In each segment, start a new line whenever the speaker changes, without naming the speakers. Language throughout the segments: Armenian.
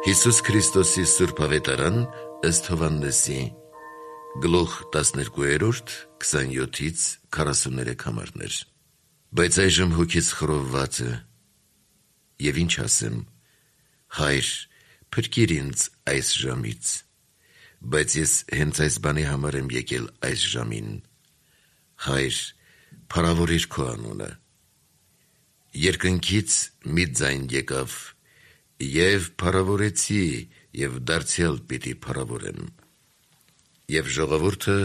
Հիսուս Քրիստոսի Սուրբ Ավետարան ըստ Հովհաննեսի Գլուխ 12, 27-43 համարներ։ Բայց այժմ հոգիս խռովված է, և ինչ ասեմ, Հայր, փրկիր ինձ այս ժամից, բայց ես հենց այս բանի համար եմ եկել այս ժամին, Հայր, փառավորիր քո անունը։ Երկնքից մի ձայն եկավ, և փառավորեցի, և դարձյալ պիտի փառավորեմ։ Եվ ժողովուրդը,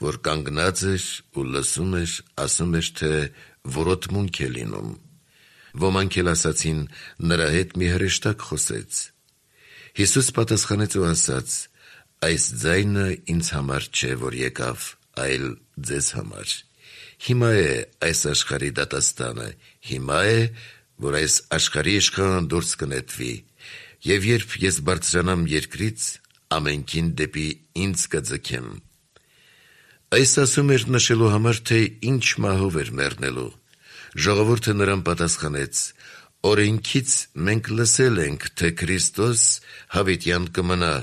որ կանգնած էր ու լսում էր, ասում էր, թե որոտմունք է լինում։ Ոմանք էլ ասացին, նրա հետ մի հրեշտակ խոսեց։ Հիսուս պատասխանեց ու ասաց. այս ձայնը ինձ համար չէ, որ եկավ, այլ ձեզ համար։ Հիմա է այս աշխարհի դատաստանը, հիմա է, որ այս աշխարհի իշխանը դուրս կնետվի, և երբ ես բարձրանամ երկրից, ամենքին դեպի ինձ կձգեմ։ Այս ասում էր նշելու համար, թե ինչ մահով էր մեռնելու։ Ժողովուրդը նրան պատասխանեց. օրենքից մենք լսել ենք, թե Քրիստոս հավիտյան կմնա,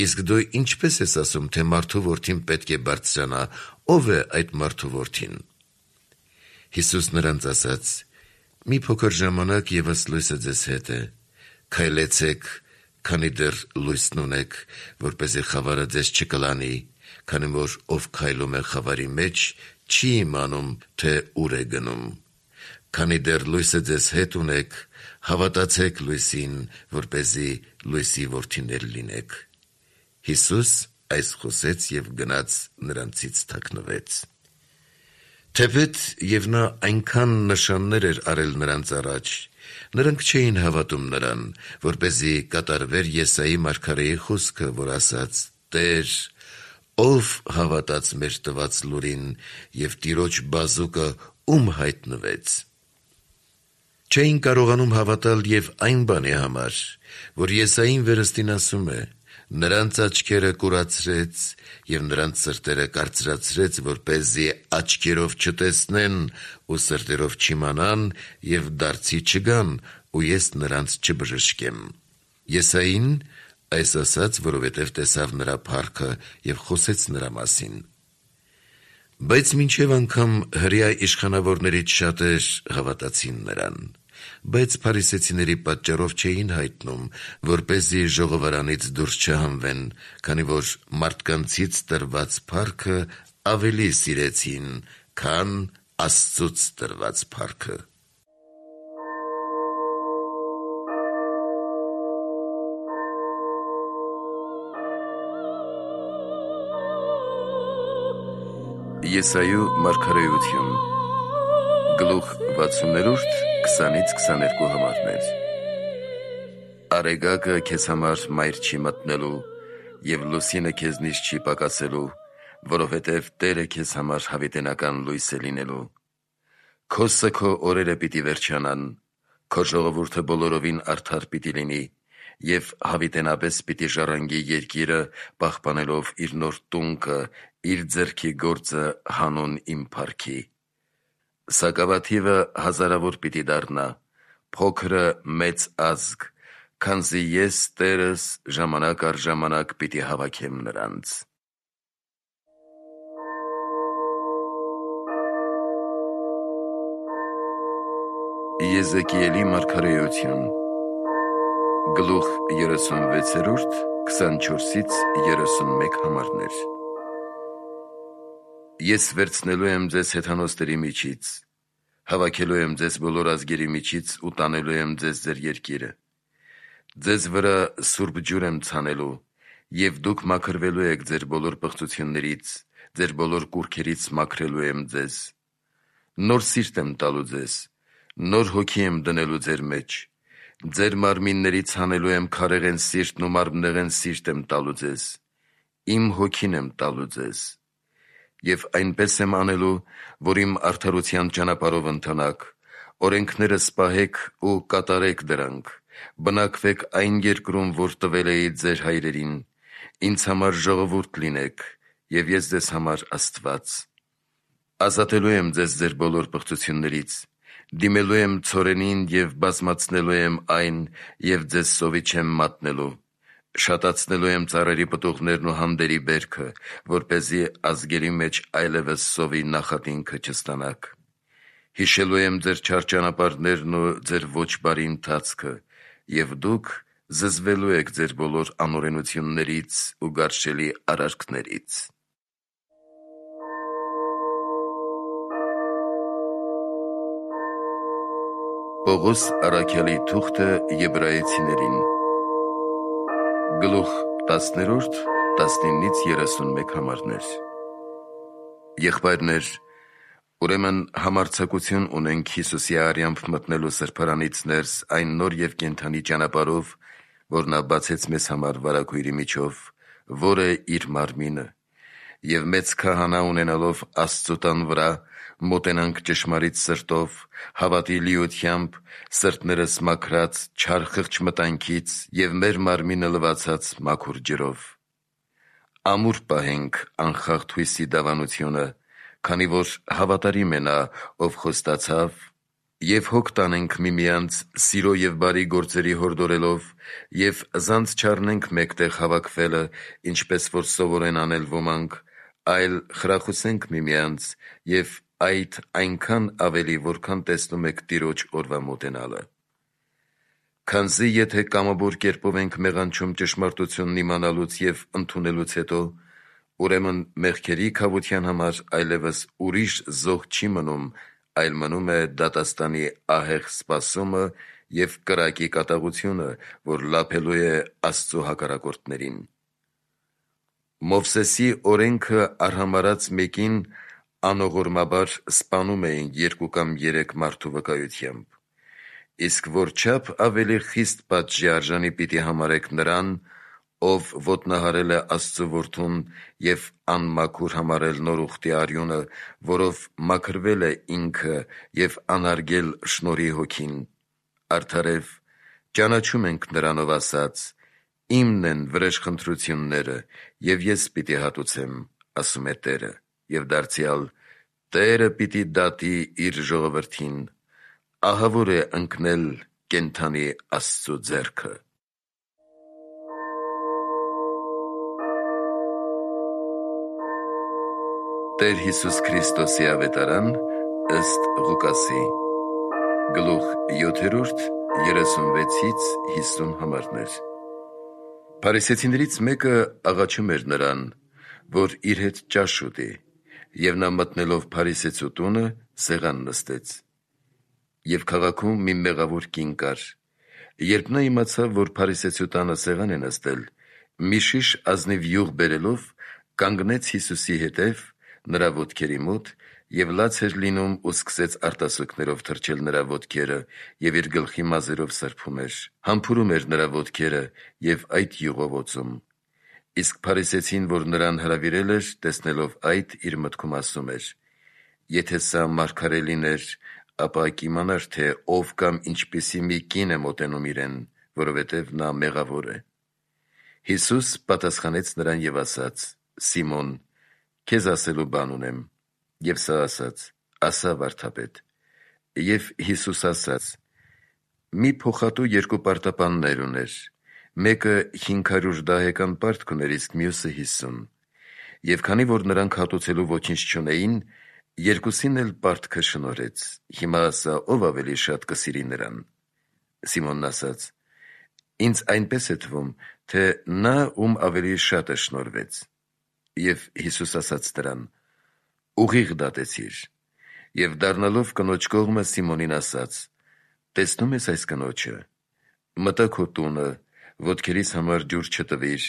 իսկ դու ինչպես ես ասում, թե մարդու որդին պետք է բարձրանա, ով է այդ մարդու որդին։ Հիսուս նրանց ասաց. մի փոքր ժամանակ ևս լույսը ձեզ հետ է, քայլեցեք, քանի դեռ լույսն ունեք, որպեսզի խավարը ձեզ չկլանի, քանի որ ով քայլում է խավարի մեջ, չի իմանում, թե ուր է գնում։ Քանի դեռ լույսը ձեզ հետ ունեք, հավատացեք լույսին, որպեսզի լույսի որդիներ լինեք։ Հիսուս այս խոսեց և գնաց նրանցից թաքնվեց։ Թեպետ և նա այնքան նշաններ էր արել նրանց առաջ, նրանք չէին հավատում նրան, որպեսզի կատարվեր Եսայի մարգարեի խոսքը, որ ասաց. «Տեր, ով հավատաց մեր տված լուրին, և Տիրոջ բազուկը ում հայտնվեց»։ Չէին կարողանում հավատալ և այն բանի համար, որ Եսային վերստին ասում է. «Նրանց աչքերը կուրացրեց և նրանց սրտերը կարծրացրեց, որպեսզի աչքերով չտեսնեն ու սրտերով չիմանան և դարձի չգան, ու ես նրանց չբժշկեմ»։ Եսային այս ասաց, որովհետև տեսավ նրա փառքը և խոսեց նրա մասին։ Բայց մինչև անգամ հրեա իշխանավորներից շատեր հավատացին նրան, բայց փարիսեցիների պատճառով չէին հայտնում, որպեսզի ժողովարանից դուրս չհանվեն, քանի որ մարդկանցից տրված փառքը ավելի սիրեցին, քան Աստծուց տրված փառքը։ Եսայու մարգարեություն Գլուխ 60, 20-22 համարներ։ Արեգակը քեզ համար մայր չի մտնելու, և լուսինը քեզնից չի պակասելու, որովհետև Տերը քեզ համար հավիտենական լույս է լինելու։ Քո սգո օրերը պիտի վերջանան, քո ժողովուրդը բոլորովին արդար պիտի լինի, և հավիտենապես պիտի ժառանգի երկիրը, պահպանելով իր նոր տունկը, իր ձեռքի գործը հանուն իմ փառքի։ Սակավաթիվը հազարավոր պիտի դառնա, փոքրը մեծ ազգ, քանզի ես Տերս ժամանակ առ ժամանակ պիտի հավաքեմ նրանց։ Եզեկիելի մարգարեություն Գլուխ 36, 24-31 համարներ։ Ես վերցնելու եմ ձեզ հեթանոսների միջից, հավաքելու եմ ձեզ բոլոր ազգերի միջից ու տանելու եմ ձեզ ձեր երկիրը։ Ձեզ վրա սուրբ ջուր եմ ցանելու, և դուք մաքրվելու եք ձեր բոլոր պղծություններից, ձեր բոլոր կուռքերից մաքրելու եմ ձեզ։ Նոր սիրտ եմ տալու ձեզ, նոր հոգի եմ դնելու ձեր մեջ, ձեր մարմիններից հանելու եմ քարեղեն սիրտն ու մարմնեղեն սիրտ եմ տալու ձեզ, իմ հոգին եմ տալու ձեզ։ Եվ այնպես եմ անելու, որ իմ արդարության ճանապարհով ընթանաք, օրենքներս պահեք ու կատարեք դրանք, բնակվեք այն երկրում, որ տվել էի ձեր հայրերին, ինձ համար ժողովուրդ լինեք, և ես ձեզ համար Աստված։ Ազատելու եմ ձեզ ձեր բոլոր պղծություններից, դիմելու եմ ցորենին և բազմացնելու եմ այն, և ձեզ սովի չեմ մատնելու, Շատացնելու եմ ծառերի պտուղներն ու հանդերի բերքը, որպեսզի ազգերի մեջ այլևս սովի նախատինքը չստանաք։ Հիշելու եմ ձեր չար ճանապարհներն ու ձեր ոչ բարի ընթացքը, եւ դուք զզվելու եք ձեր բոլոր անօրենություններից ու գարշելի արարքներից։ Պողոս առաքյալի թուղթը Եբրայեցիներին Գլուխ 10, 19-31 համարներ։ Եղբայրներ, ուրեմն համարձակություն ունենք Հիսուսի արյամբ մտնելու սրբարանից ներս այն նոր և կենդանի ճանապարհով, որ նա բացեց մեզ համար վարագույրի միջով, որը իր մարմինը, և մեծ քահանա ունենալով Աստծու տան վրա, մոտենանք ճշմարիտ սրտով, հավատի լիությամբ, սրտներս մաքրած չար խղճ մտանքից և մեր մարմինը լվացած մաքուր ջրով։ Ամուր պահենք անխախտ հույսի դավանությունը, քանի որ հավատարիմ է նա, ով խոստացավ, և հոգ տանենք միմյանց սիրո և բարի գործերի հորդորելով, և զանց չառնենք մեկտեղ հավաքվելը, ինչպես որ սովոր են անել ոմանք, այլ խրախուսենք միմյանց, և այդ այնքան ավելի, որքան տեսնում եք Տիրոջ օրվա մոտենալը։ Քանզի եթե կամավոր կերպով ենք մեղանչում ճշմարտությունն իմանալուց և ընդունելուց հետո, ուրեմն մեղքերի քավության համար այլևս ուրիշ զոհ չի մնում, այլ մնում է դատաստանի ահեղ սպասումը և կրակի կատաղությունը, որ լափելու է Աստծու հակառակորդներին։ Մովսեսի օրենքը արհամարհած մեկին անողորմաբար սպանում էին 2 կամ 3 մարդու վկայությամբ, իսկ որչափ ավելի խիստ պատժի արժանի պիտի համարեք նրան, ով ոտնահարել է Աստծու որդուն և անմաքուր համարել նոր ուխտի արյունը, որով մաքրվել է ինքը և անարգել շնորհի հոգին։ Արդարև ճանաչում ենք նրանով ասած. «Իմն են վրեժխնդրությունները, և ես պիտի հատուցեմ, ասում է Տերը», և դարձյալ Տերը պիտի դատի իր ժողովրդին, ահավոր է ընկնել կենդանի Աստծու ձեռքը։ Տեր Հիսուս Քրիստոսի ավետարան ըստ Ղուկասի Գլուխ 7, 36-50 համարներ։ Փարիսեցիներից մեկը աղաչում էր նրան, որ իր հետ ճաշ ուտի, և նա մտնելով փարիսեցու տունը սեղան նստեց։ Եվ քաղաքում մի մեղավոր կին կար։ Երբ նա իմացավ, որ փարիսեցու տանը սեղան է նստել, մի շիշ ազնիվ յուղ բերելով, կանգնեց Հիսուսի հետև, նրա ոտքերի մոտ, և լաց էր լինում ու սկսեց արտասուքներով թրջել նրա ոտքերը և իր գլխի մազերով սրբում էր, համբուրում էր նրա ոտքերը և այդ յուղով օծում։ Իսկ փարիսեցին, որ նրան հրավիրել էր, տեսնելով այդ, իր մտքում ասում էր. «Եթե սա մարգարե լիներ, ապա կիմանար, թե ով կամ ինչպիսի մի կին է մոտենում իրեն, որովհետև նա մեղավոր է»։ Հիսուս պատասխանեց նրան և ասաց. «Սիմոն, քեզ ասելու բան ունեմ»։ Եվ սա ասաց. «Ասա, վարդապետ»։ Եվ Հիսուս ասաց. մի փոխատու 2 պարտապաններ ուներ, մեկը 500 դահեկան պարտք ուներ, իսկ մյուսը 50։ Եվ քանի որ նրանք հատուցելու ոչինչ չունեին, երկուսին էլ պարտքը շնորհեց։ Հիմա ասա, ով ավելի շատ կսիրի նրան։ Սիմոնն ասաց. ինձ այնպես է թվում, թե նա, ում ավելի շատը շնորհվեց։ Եվ Հիսուս ասաց նրան. ուղիղ դատեցիր։ Եվ դառնալով կնոջ կողմը Սիմոնին ասաց. տեսնում ես այս կնոջը, մտա քո տունը, ոտքերիս համար ջուր չտվիր,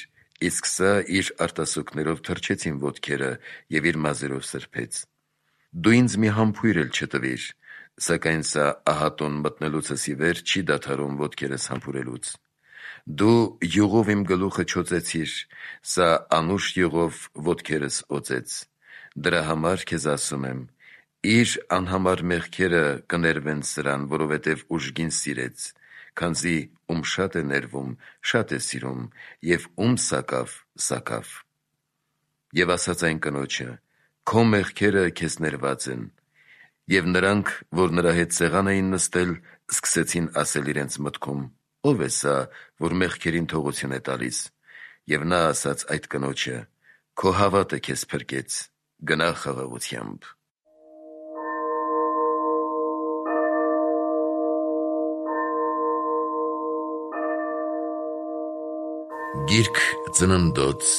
իսկ սա իր արտասուքներով թրջեց իմ ոտքերը և իր մազերով սրբեց։ Դու ինձ մի համբույր էլ չտվիր, սակայն սա ահատոն մտնելուցս ի վեր չի դադարում ոտքերս համբուրելուց։ Դու յուղով իմ գլուխը չօծեցիր, սա անուշ յուղով ոտքերս օծեց։ Դրա համար քեզ ասում եմ. իր անհամար մեղքերը կներվեն սրան, որովհետև ուժգին սիրեց, քանզի ում շատ է ներվում, շատ է սիրում, և ում սակավ, սակավ։ Եվ ասաց այն կնոջը. քո մեղքերը քեզ ներված են։ Եվ նրանք, որ նրա հետ սեղան էին նստել, սկսեցին ասել իրենց մտքում. ով է սա, որ մեղքերին թողություն է տալիս, եւ նա ասաց այդ կնոջը. «Քո հավատը քեզ փրկեց, գնա խաղաղությամբ»։ Գիրք Ծննդոց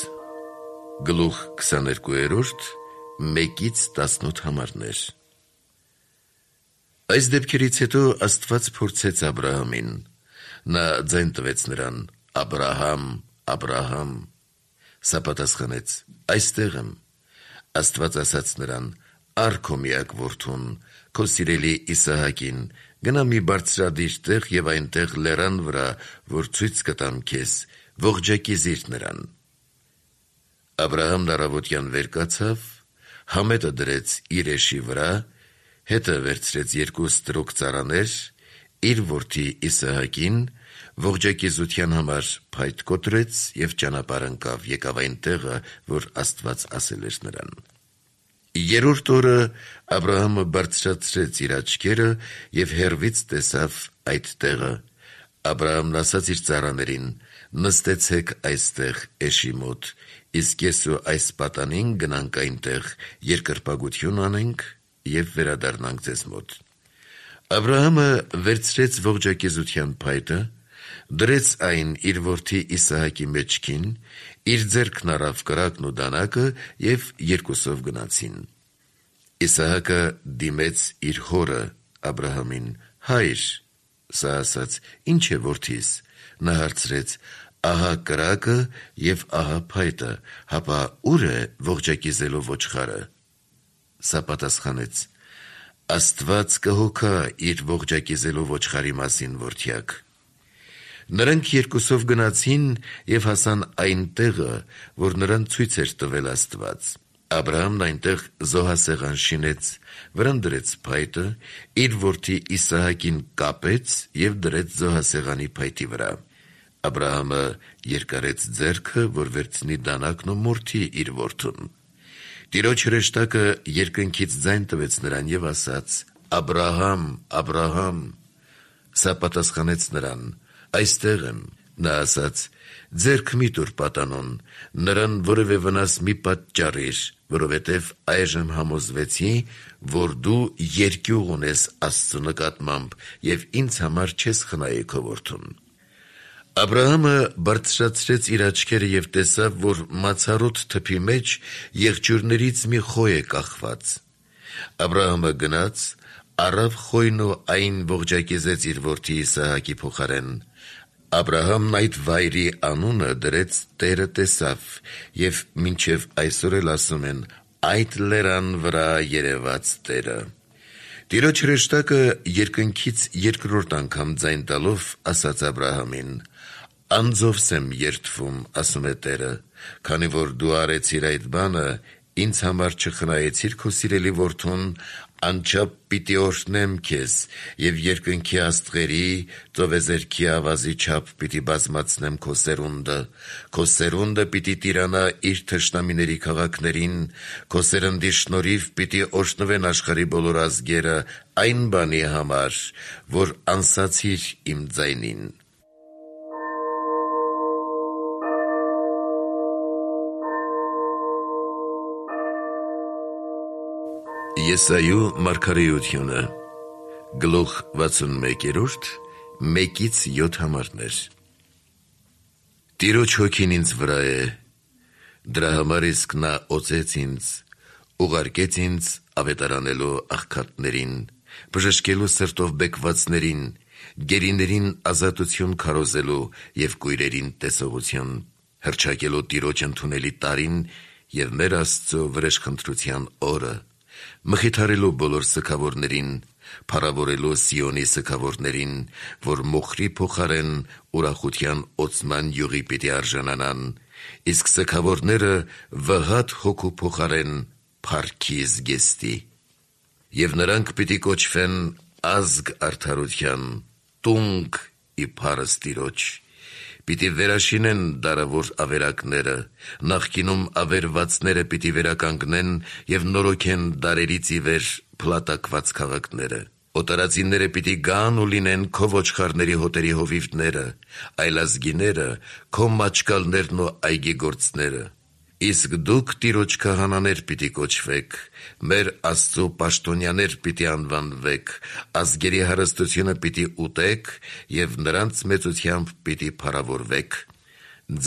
գլուխ 22 1-18 համարներ։ Այս դեպքերից հետո Աստված փորձեց Աբրահամին։ Նա ձայն տվեց նրան. «Աբրահամ, Աբրահամ»։ Սա պատասխանեց. «Այստեղ եմ»։ Աստված ասաց նրան. «Առ քո միակ որդուն, քո սիրելի Իսահակին, գնա մի բարձրադիր տեղ եւ այնտեղ լեռան վրա, որ ցույց կտամ քեզ, ողջակիզիր նրան»։ Աբրահամն առավոտյան վեր կացավ, համետը դրեց իր էշի վրա, հետը վերցրեց 2 ստրուկ ծառաներ, իր որդի Իսահակին, ողջակիզության համար փայտ կոտրեց եւ ճանապարհ ընկավ, եկավ այն տեղը, որ Աստված ասել էր նրան։ Երրորդ օրը Աբրահամը բարձրացրեց իր աչքերը եւ հեռվից տեսավ այդ տեղը։ Աբրահամն ասաց իր ծառաներին. «Նստեցեք այստեղ էշի մոտ, իսկ ես ու այս պատանին գնանք այնտեղ, երկրպագություն անենք եւ վերադառնանք ձեզ մոտ»։ Աբրահամը վերցրեց ողջակիզության փայտը, դրեց այն իր որդի Իսահակի մեջքին, իր ձեռքն առավ կրակն ու դանակը եւ երկուսով գնացին։ Իսահակը դիմեց իր հորը Աբրահամին. «Հայր»։ Սա ասաց. «Ինչ է որդիս»։ Նա հարցրեց. «Ահա կրակը եւ ահա փայտը, հապա ուր է ողջակիզելու ոչխարը»։ Սա պատասխանեց. «Աստված կհոգա իր ողջակիզելու ոչխարի մասին, որդյակ»։ Նրանք երկուսով գնացին եւ հասան այն տեղը, որ նրան ցույց էր տվել Աստված։ Աբրահամն այնտեղ զոհասեղան շինեց, վրան դրեց փայտը, իր որդի Իսահակին կապեց եւ դրեց զոհասեղանի փայտի վրա։ Աբրահամը երկարեց ձեռքը, որ վերցնի դանակն ու մորթի իր որդուն։ Տիրոջ հրեշտակը երկնքից ձայն տվեց նրան եւ ասաց. «Աբրահամ, Աբրահամ»։ Սա պատասխանեց նրան. «Այստեղ եմ»։ Նա ասաց. «Ձեռք մի տուր պատանուն, նրան որևէ վնաս մի պատճառիր, որովհետև այժմ համոզվեցի, որ դու երկյուղ ունես Աստծու նկատմամբ եւ ինձ համար չես խնայի քո որդուն»։ Աբրահամը բարձրացրեց իր աչքերը եւ տեսավ, որ մացառոտ թփի մեջ եղջյուրներից մի խոյ է կախված։ Աբրահամը գնաց, առավ խոյն ու այն ողջակիզեց իր որդի Իսահակի փոխարեն։ Աբրահամն այդ վայրի անունը դրեց «Տերը տեսավ» եւ մինչեւ այսօր էլ ասում են. «Այդ լեռան վրա երևաց Տերը»։ Տիրոջ հրեշտակը երկնքից երկրորդ անգամ ձայն տալով ասաց Աբրահամին. «Անձովս եմ երդվում, ասում է Տերը, քանի որ դու արեցիր այդ բանը, ինձ համար չխնայեցիր քո սիրելի որդուն, անչափ պիտի օրհնեմ քեզ եւ երկնքի աստղերի, ծովեզերքի ավազի չափ պիտի բազմացնեմ քո սերունդը պիտի տիրանա իր թշնամիների քաղաքներին, քո սերնդի շնորհիվ պիտի օրհնվեն աշխարհի բոլոր ազգերը այն բանի համար, որ անսացիր իմ ձայնին»։ Եսայու մարգարեությունը գլուխ 61 1-7 համարներ։ Տիրոջ հոգին ինձ վրա է, դրա համար իսկ նա օծեց ինձ, ուղարկեց ինձ ավետարանելու աղքատներին, բժշկելու սրտով բեկվածներին, գերիներին ազատություն քարոզելու եւ կույրերին տեսողություն, հռչակելու Տիրոջ ընդունելի տարին եւ մեր Աստծո վրեժխնդրության օրը, մխիթարելու բոլոր սգավորներին, փառավորելու Սիոնի սգավորներին, որ մոխրի փոխարեն ուրախության օծման յուղի պիտի արժանանան, իսկ սգավորները վհատ հոգու փոխարեն փառքի զգեստի։ Եվ նրանք պիտի կոչվեն ազգ արդարության, տունգ ի փառս Տիրոջ։ Պիտի վերաշինեն դարավոր ավերակները, նախկինում ավերվածները պիտի վերականգնեն եւ նորոգեն դարերից ի վեր փլատակված քաղաքները։ Օտարածինները պիտի գան ու լինեն քո ոչխարների հոտերի հովիվները, այլազգիները, քո մաչկալներն ու այգիգործները։ Իսկ դուք Տիրոջ քահանաներ պիտի կոչվեք, մեր Աստծո պաշտոնյաներ պիտի անվանվեք, ազգերի հարստությունը պիտի ուտեք և նրանց մեծությամբ պիտի փառավորվեք։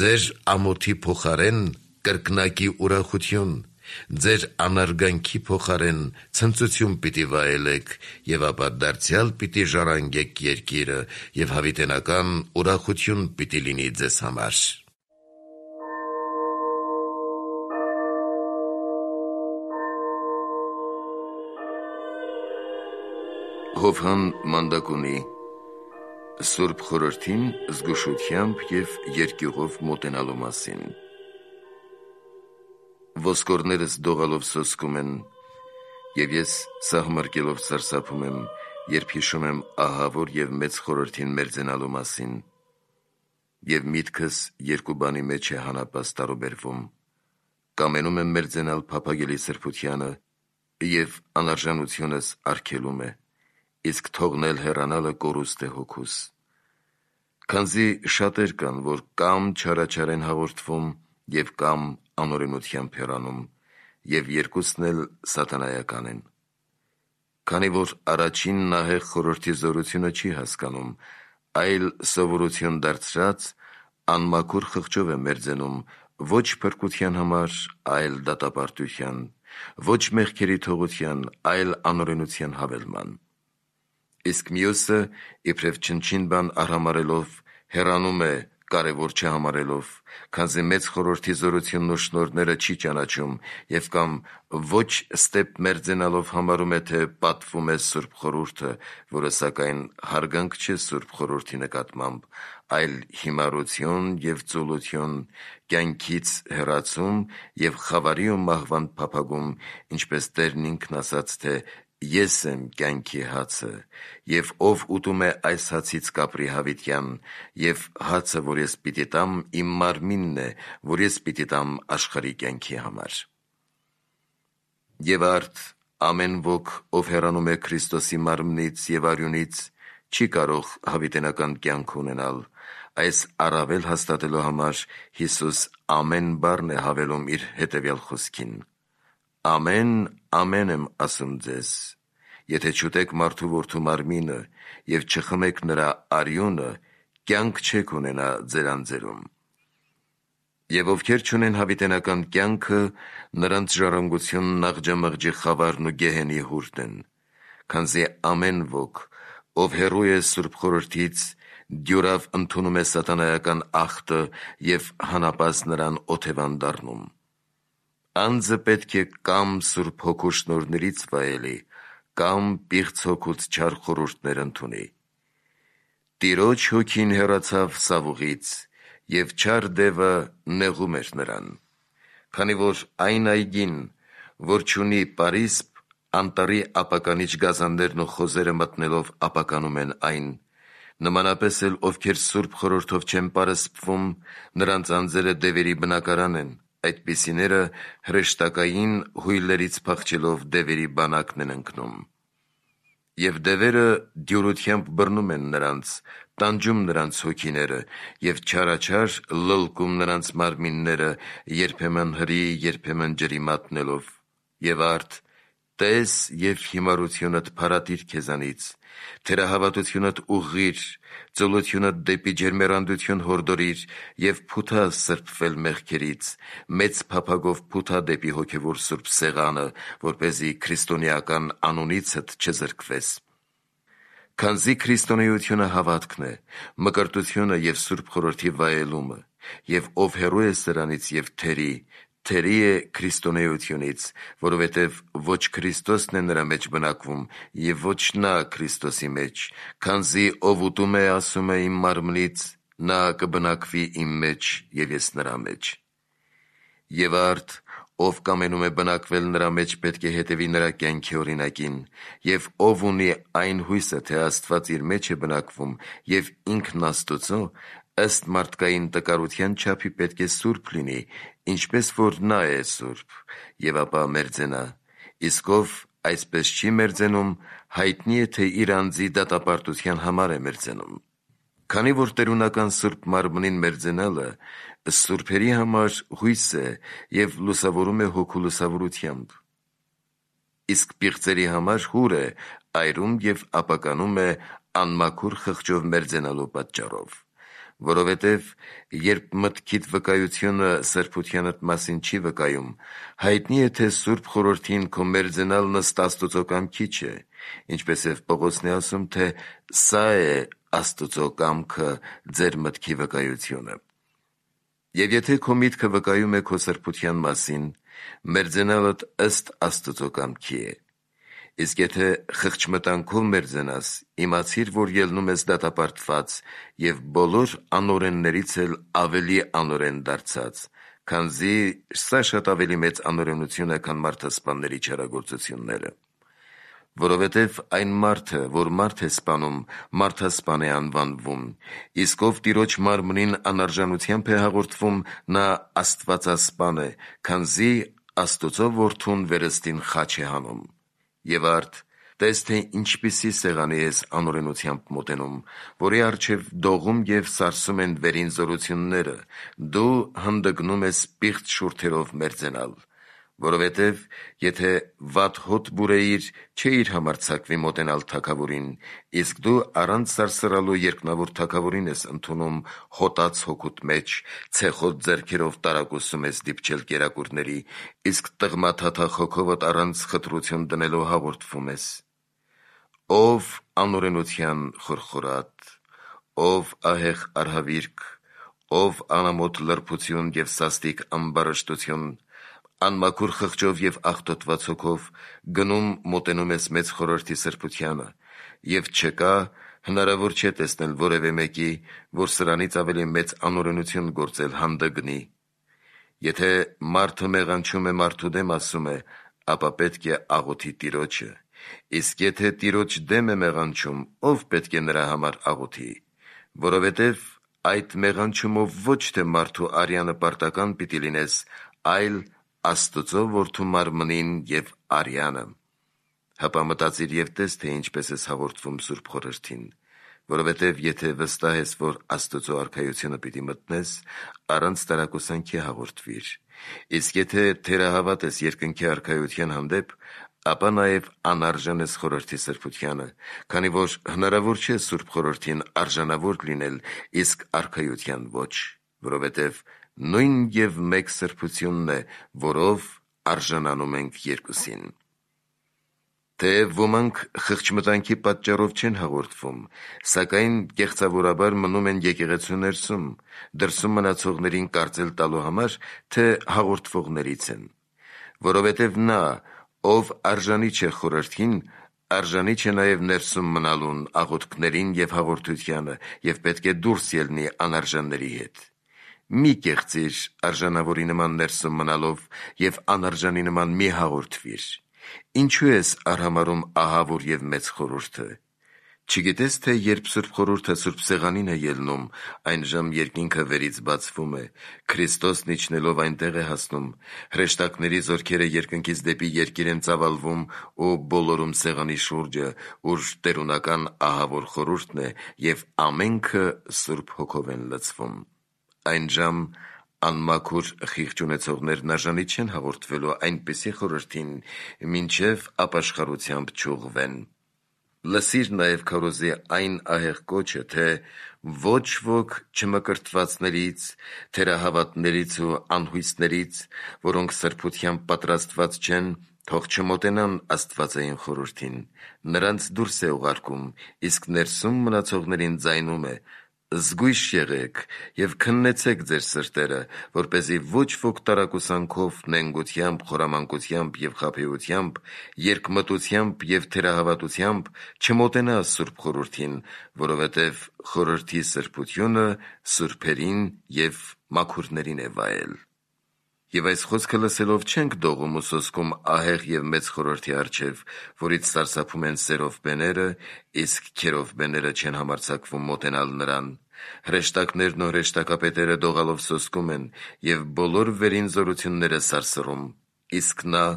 Ձեր ամոթի փոխարեն կրկնակի ուրախություն, ձեր անարգանքի փոխարեն ցնծություն պիտի վայելեք, և ապա դարձյալ պիտի ժառանգեք երկիրը, և հավիտենական ուրախություն պիտի լինի ձեզ համար։ Հովհան Մանդակունի Սուրբ Խորհրդին զգուշությամբ և երկյուղով մոտենալու մասին։ Ոսկորներս դողալով սոսկում են, և ես սահմռկելով սարսափում եմ, երբ հիշում եմ ահավոր և մեծ խորհրդին մերձենալու մասին, և միտքս երկու բանի մեջ է հանապաս տարուբերվում, կամենում եմ մերձենալ փափագելի սրբությանը, և անարժանությունս արգելում է, իսկ թողնել հեռանալը կորուստ է հոգուս։ Քանզի շատեր կան, որ կամ չարաչար են հաղորդվում և կամ անօրենությամբ հեռանում, և երկուսն էլ սատանայական են։ Քանի որ առաջին նահեղ խորհրդի զորությունը չի հասկանում, այլ սովորություն դարձրած, անմաքուր խղճով է մերձենում, ոչ փրկության համար, այլ դատապարտության, ոչ մեղքերի թողության, այլ անօրենության հավելման։ Իսկ մյուսը, իբրև չնչին բան արհամարհելով, հեռանում է կարևոր չհամարելով, քանզի մեծ խորհրդի զորությունն ու շնորհները չի ճանաչում, և կամ ոչ ստեպ մերձենալով համարում է, թե պատվում է Սուրբ Խորհուրդը, որը սակայն հարգանք չէ Սուրբ Խորհրդի նկատմամբ, այլ հիմարություն և ծուլություն, կյանքից հեռացում և խավարի ու մահվան փափագում, ինչպես Տերն ինքն ասաց, թե «Ես եմ կյանքի հացը, և ով ուտում է այս հացից կապրի հավիտյան, և հացը, որ ես պիտի տամ, իմ մարմինն է, որ ես պիտի տամ աշխարհի կյանքի համար»։ Եվ արդ ամեն ոք, ով հեռանում է Քրիստոսի մարմնից և արյունից, չի կարող հավիտենական կյանք ունենալ։ Այս առավել հաստատելու համար Հիսուս ամեն բառն է հավելում իր հետևյալ խոսքին. «Ամեն, ամեն եմ ասում ձեզ, եթե չուտեք մարդու որդու մարմինը և չխմեք նրա արյունը, կյանք չեք ունենա ձեր անձերում։ Եվ ովքեր չունեն հավիտենական կյանքը, նրանց ժառանգությունն աղջամղջի խավարն ու գեհենի հուրն են, քանզի ամեն ոք, ով հեռու է Սուրբ Խորհրդից, դյուրավ ընդունում է սատանայական ախտը և հանապաս նրան օթևան դառնում։ Անձը պետք է կամ Սուրբ Հոգու շնորհներից վայելի, կամ պիղծ հոգուց չար խորհուրդներ ընդունի։ Տիրոջ Հոգին հեռացավ Սավուղից, և չար դևը նեղում էր նրան, քանի որ այն այգին, որ չունի պարիսպ, անտառի ապականիչ գազաններն ու խոզերը մտնելով ապականում են այն, նմանապես էլ ովքեր Սուրբ Խորհրդով չեն պարսպվում, նրանց անձերը դևերի բնակարան են, այդպիսիները հրեշտակային հույլերից փախչելով դևերի բանակն են ընկնում։ Եվ դևերը դյուրությամբ բռնում են նրանց, տանջում նրանց հոգիները և չարաչար լլկում նրանց մարմինները, երբեմն հրի, երբեմն ջրի մատնելով։ Եվ արդ տես և հիմարությունդ փարատիր քեզանից, թերահավատությունդ ուղղիր, ծուլությունդ դեպի ջերմեռանդություն հորդորիր և փութա սրբվել մեղքերից, մեծ փափագով փութա դեպի հոգևոր սուրբ սեղանը, որպեսզի քրիստոնեական անունիցդ չզրկվես։ Քանզի քրիստոնեությունը հավատքն է, մկրտությունը և Սուրբ Խորհրդի վայելումը, և ով հեռու է սրանից և թերի է քրիստոնեությունից, որովհետև ոչ Քրիստոսն է նրա մեջ բնակվում, և ոչ նա Քրիստոսի մեջ, քանզի ով ուտում է, ասում է իմ մարմնից, նա կբնակվի իմ մեջ, և ես նրա մեջ։ Եվ արդ ով կամենում է բնակվել նրա մեջ, պետք է հետևի նրա կյանքի օրինակին, և ով ունի այն հույսը, թե Աստված իր մեջ է բնակվում, և ինքն Աստծո, ըստ մարդկային տկարության չափի պետք է սուրբ լինի, ինչպես որ նա է սուրբ, և ապա մերձենա, իսկ ով այսպես չի մերձենում, հայտնի է, թե իր անձի դատապարտության համար է մերձենում։ Քանի որ տերունական Սուրբ Մարմնին մերձենալը սուրբերի համար հույս է և լուսավորում է հոգու լուսավորությամբ, իսկ պիղծերի համար հուր է այրում և ապականում է անմաքուր խղճով մերձենալու պատճառով։ Որովհետև երբ մտքիդ վկայությունը սրբությանդ մասին չի վկայում, հայտնի է, թե Սուրբ Խորհրդին քո մերձենալն ըստ Աստուծո կամքի չէ, ինչպես և Պողոսն է ասում, թե սա է Աստուծո կամքը ձեր մտքի վկայությունը։ Եվ եթե քո միտքը վկայում է քո սրբության մասին, մերձենալդ ըստ Աստուծո կամքի է։ Իսկ եթե խղճմտանքով մերձենաս, իմացիր, որ ելնում ես դատապարտված և բոլոր անօրեններից էլ ավելի անօրեն դարձած, քանզի սա շատ ավելի մեծ անօրենություն է, քան մարդասպանների չարագործությունները։ Որովհետև այն մարդը, որ մարդ է սպանում, մարդասպան է անվանվում, իսկ ով Տիրոջ մարմնին անարժանությամբ է հաղորդվում, նա աստվածասպան է, քանզի Աստուծո Որդուն վերստին խաչ է հանում։ Եվ արդ, տես, թե ինչպիսի սեղանի ես անօրենությամբ մոտենում, որի առջև դողում և սարսում են վերին զորությունները, դու հանդգնում ես պիղծ շուրթերով մերձենալ։ Որովհետև եթե վատ հոտ բուրեիր, չէիր համարձակվի մոտենալ թագավորին, իսկ դու առանց սարսռալու երկնավոր թագավորին ես ընդունում հոտած հոգուտ մեջ, ցեխոտ ձեռքերով տարակուսում ես դիպչել կերակուրների, իսկ տղմաթաթախ հոգովդ առանց խտրություն դնելու հաղորդվում ես։ Ով անօրենության խորխորատ, ով ահեղ արհավիրք, ով անամոթ լրբություն և սաստիկ ամբարշտություն, անմաքուր խղճով և աղտոտված հոգով գնում մոտենում ես մեծ խորհրդի սրբությանը, և չկա, հնարավոր չէ տեսնել որևէ մեկի, որ սրանից ավելի մեծ անօրենություն գործել հանդգնի։ Եթե մարդը մեղանչում է մարդու դեմ ասում է, ապա պետք է աղոթի Տիրոջը, իսկ եթե Տիրոջ դեմ է մեղանչում, ով պետք է նրա համար աղոթի, որովհետև այդ մեղանչումով ոչ թե մարդու արյանը պարտական պիտի լինես, այլ Աստուծո Որդու մարմնին և արյանը։ Հապա մտածիր և տես, թե ինչպես ես հաղորդվում Սուրբ Խորհրդին, որովհետև եթե վստահ ես, որ Աստուծո արքայությունը պիտի մտնես, առանց տարակուսանքի հաղորդվիր, իսկ եթե թերահավատ ես երկնքի արքայության հանդեպ, ապա նաև անարժան ես խորհրդի սրբությանը, քանի որ հնարավոր չէ Սուրբ Խորհրդին արժանավոր լինել, իսկ արքայության ոչ, որովհետև նույն և մեկ սրբությունն է, որով արժանանում ենք երկուսին։ Թեև ոմանք խղճմտանքի պատճառով չեն հաղորդվում, սակայն կեղծավորաբար մնում են եկեղեցու ներսում, դրսում մնացողներին կարծել տալու համար, թե հաղորդվողներից են։ Որովհետև նա, ով արժանի չէ խորհրդին, արժանի չէ նաև ներսում մնալուն, աղոթքներին և հաղորդությանը, և պետք է դուրս ելնի անարժանների հետ։ Մի կեղծիր արժանավորի նման ներսում մնալով և անարժանի նման մի հաղորդվիր։ Ինչու ես արհամարհում ահավոր և մեծ խորհուրդը։ Չգիտես, թե երբ Սուրբ Խորհուրդը Սուրբ Սեղանին է ելնում, այն ժամ երկինքը վերից բացվում է, Քրիստոսն իջնելով այնտեղ է հասնում, հրեշտակների զորքերը երկնքից դեպի երկիր են ծավալվում ու բոլորում սեղանի շուրջը, ուր տերունական ահավոր խորհուրդն է, և ամենքը Սուրբ Հոգով են լցվում։ Այն ժամ անմաքուր խիղճ ունեցողներն արժանի չեն հաղորդվելու այնպիսի խորհրդին, մինչև ապաշխարությամբ չուղղվեն։ Լսիր նաև քարոզի այն ահեղ կոչը, թե ոչ ոք չմկրտվածներից, թերահավատներից ու անհույսներից, որոնք սրբությամբ պատրաստված չեն, թող չմոտենան Աստվածային խորհրդին, նրանց դուրս է ուղարկում, իսկ ներսում մնացողներին ձայնում է. «Զգույշ եղեք և քննեցեք ձեր սրտերը, որպեսզի ոչ ոք տարակուսանքով, նենգությամբ, խորամանկությամբ և խաբեությամբ, երկմտությամբ և թերահավատությամբ չմոտենա Սուրբ Խորհրդին, որովհետև խորհրդի սրբությունը սուրբերին և մաքուրներին է վայել»։ Եվ այս խոսքը լսելով չենք դողում ու սոսկում ահեղ և մեծ խորհրդի առջև, որից սարսափում են սերովբեները, իսկ քերովբեները չեն համարձակվում մոտենալ նրան։ Հրեշտակներն ու հրեշտակապետերը դողալով սոսկում են և բոլոր վերին զորությունները սարսռում, իսկ նա,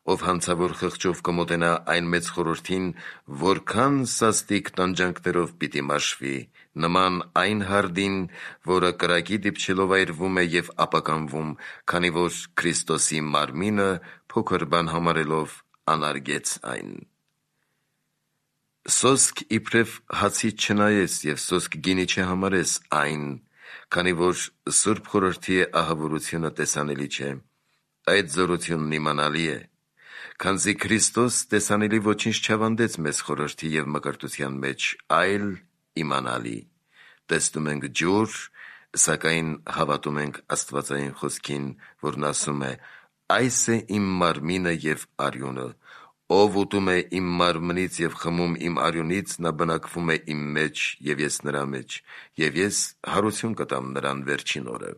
ով հանցավոր խղճով կմոտենա այն մեծ խորհրդին, որքան սաստիկ տանջանքներով պիտի մաշվի, նման այն հարդին, որը կրակի դիպչելով այրվում է և ապականվում, քանի որ Քրիստոսի մարմինը փոքր բան համարելով անարգեց այն։ Սոսկ իբրև հացից չնայես և սոսկ գինի չհամարես այն, քանի որ Սուրբ Խորհրդի ահավորությունը տեսանելի չէ, այդ զորությունն իմանալի է, քանզի Քրիստոս տեսանելի ոչինչ չավանդեց մեզ խորհրդի և մկրտության մեջ, այլ իմանալի։ Տեսնում ենք ջուր, սակայն հավատում ենք Աստվածային խոսքին, որն ասում է. «Այս է իմ մարմինը և արյունը, ով ուտում է իմ մարմնից և խմում իմ արյունից, նա բնակվում է իմ մեջ և ես նրա մեջ, և ես հարություն կտամ նրան վերջին օրը»։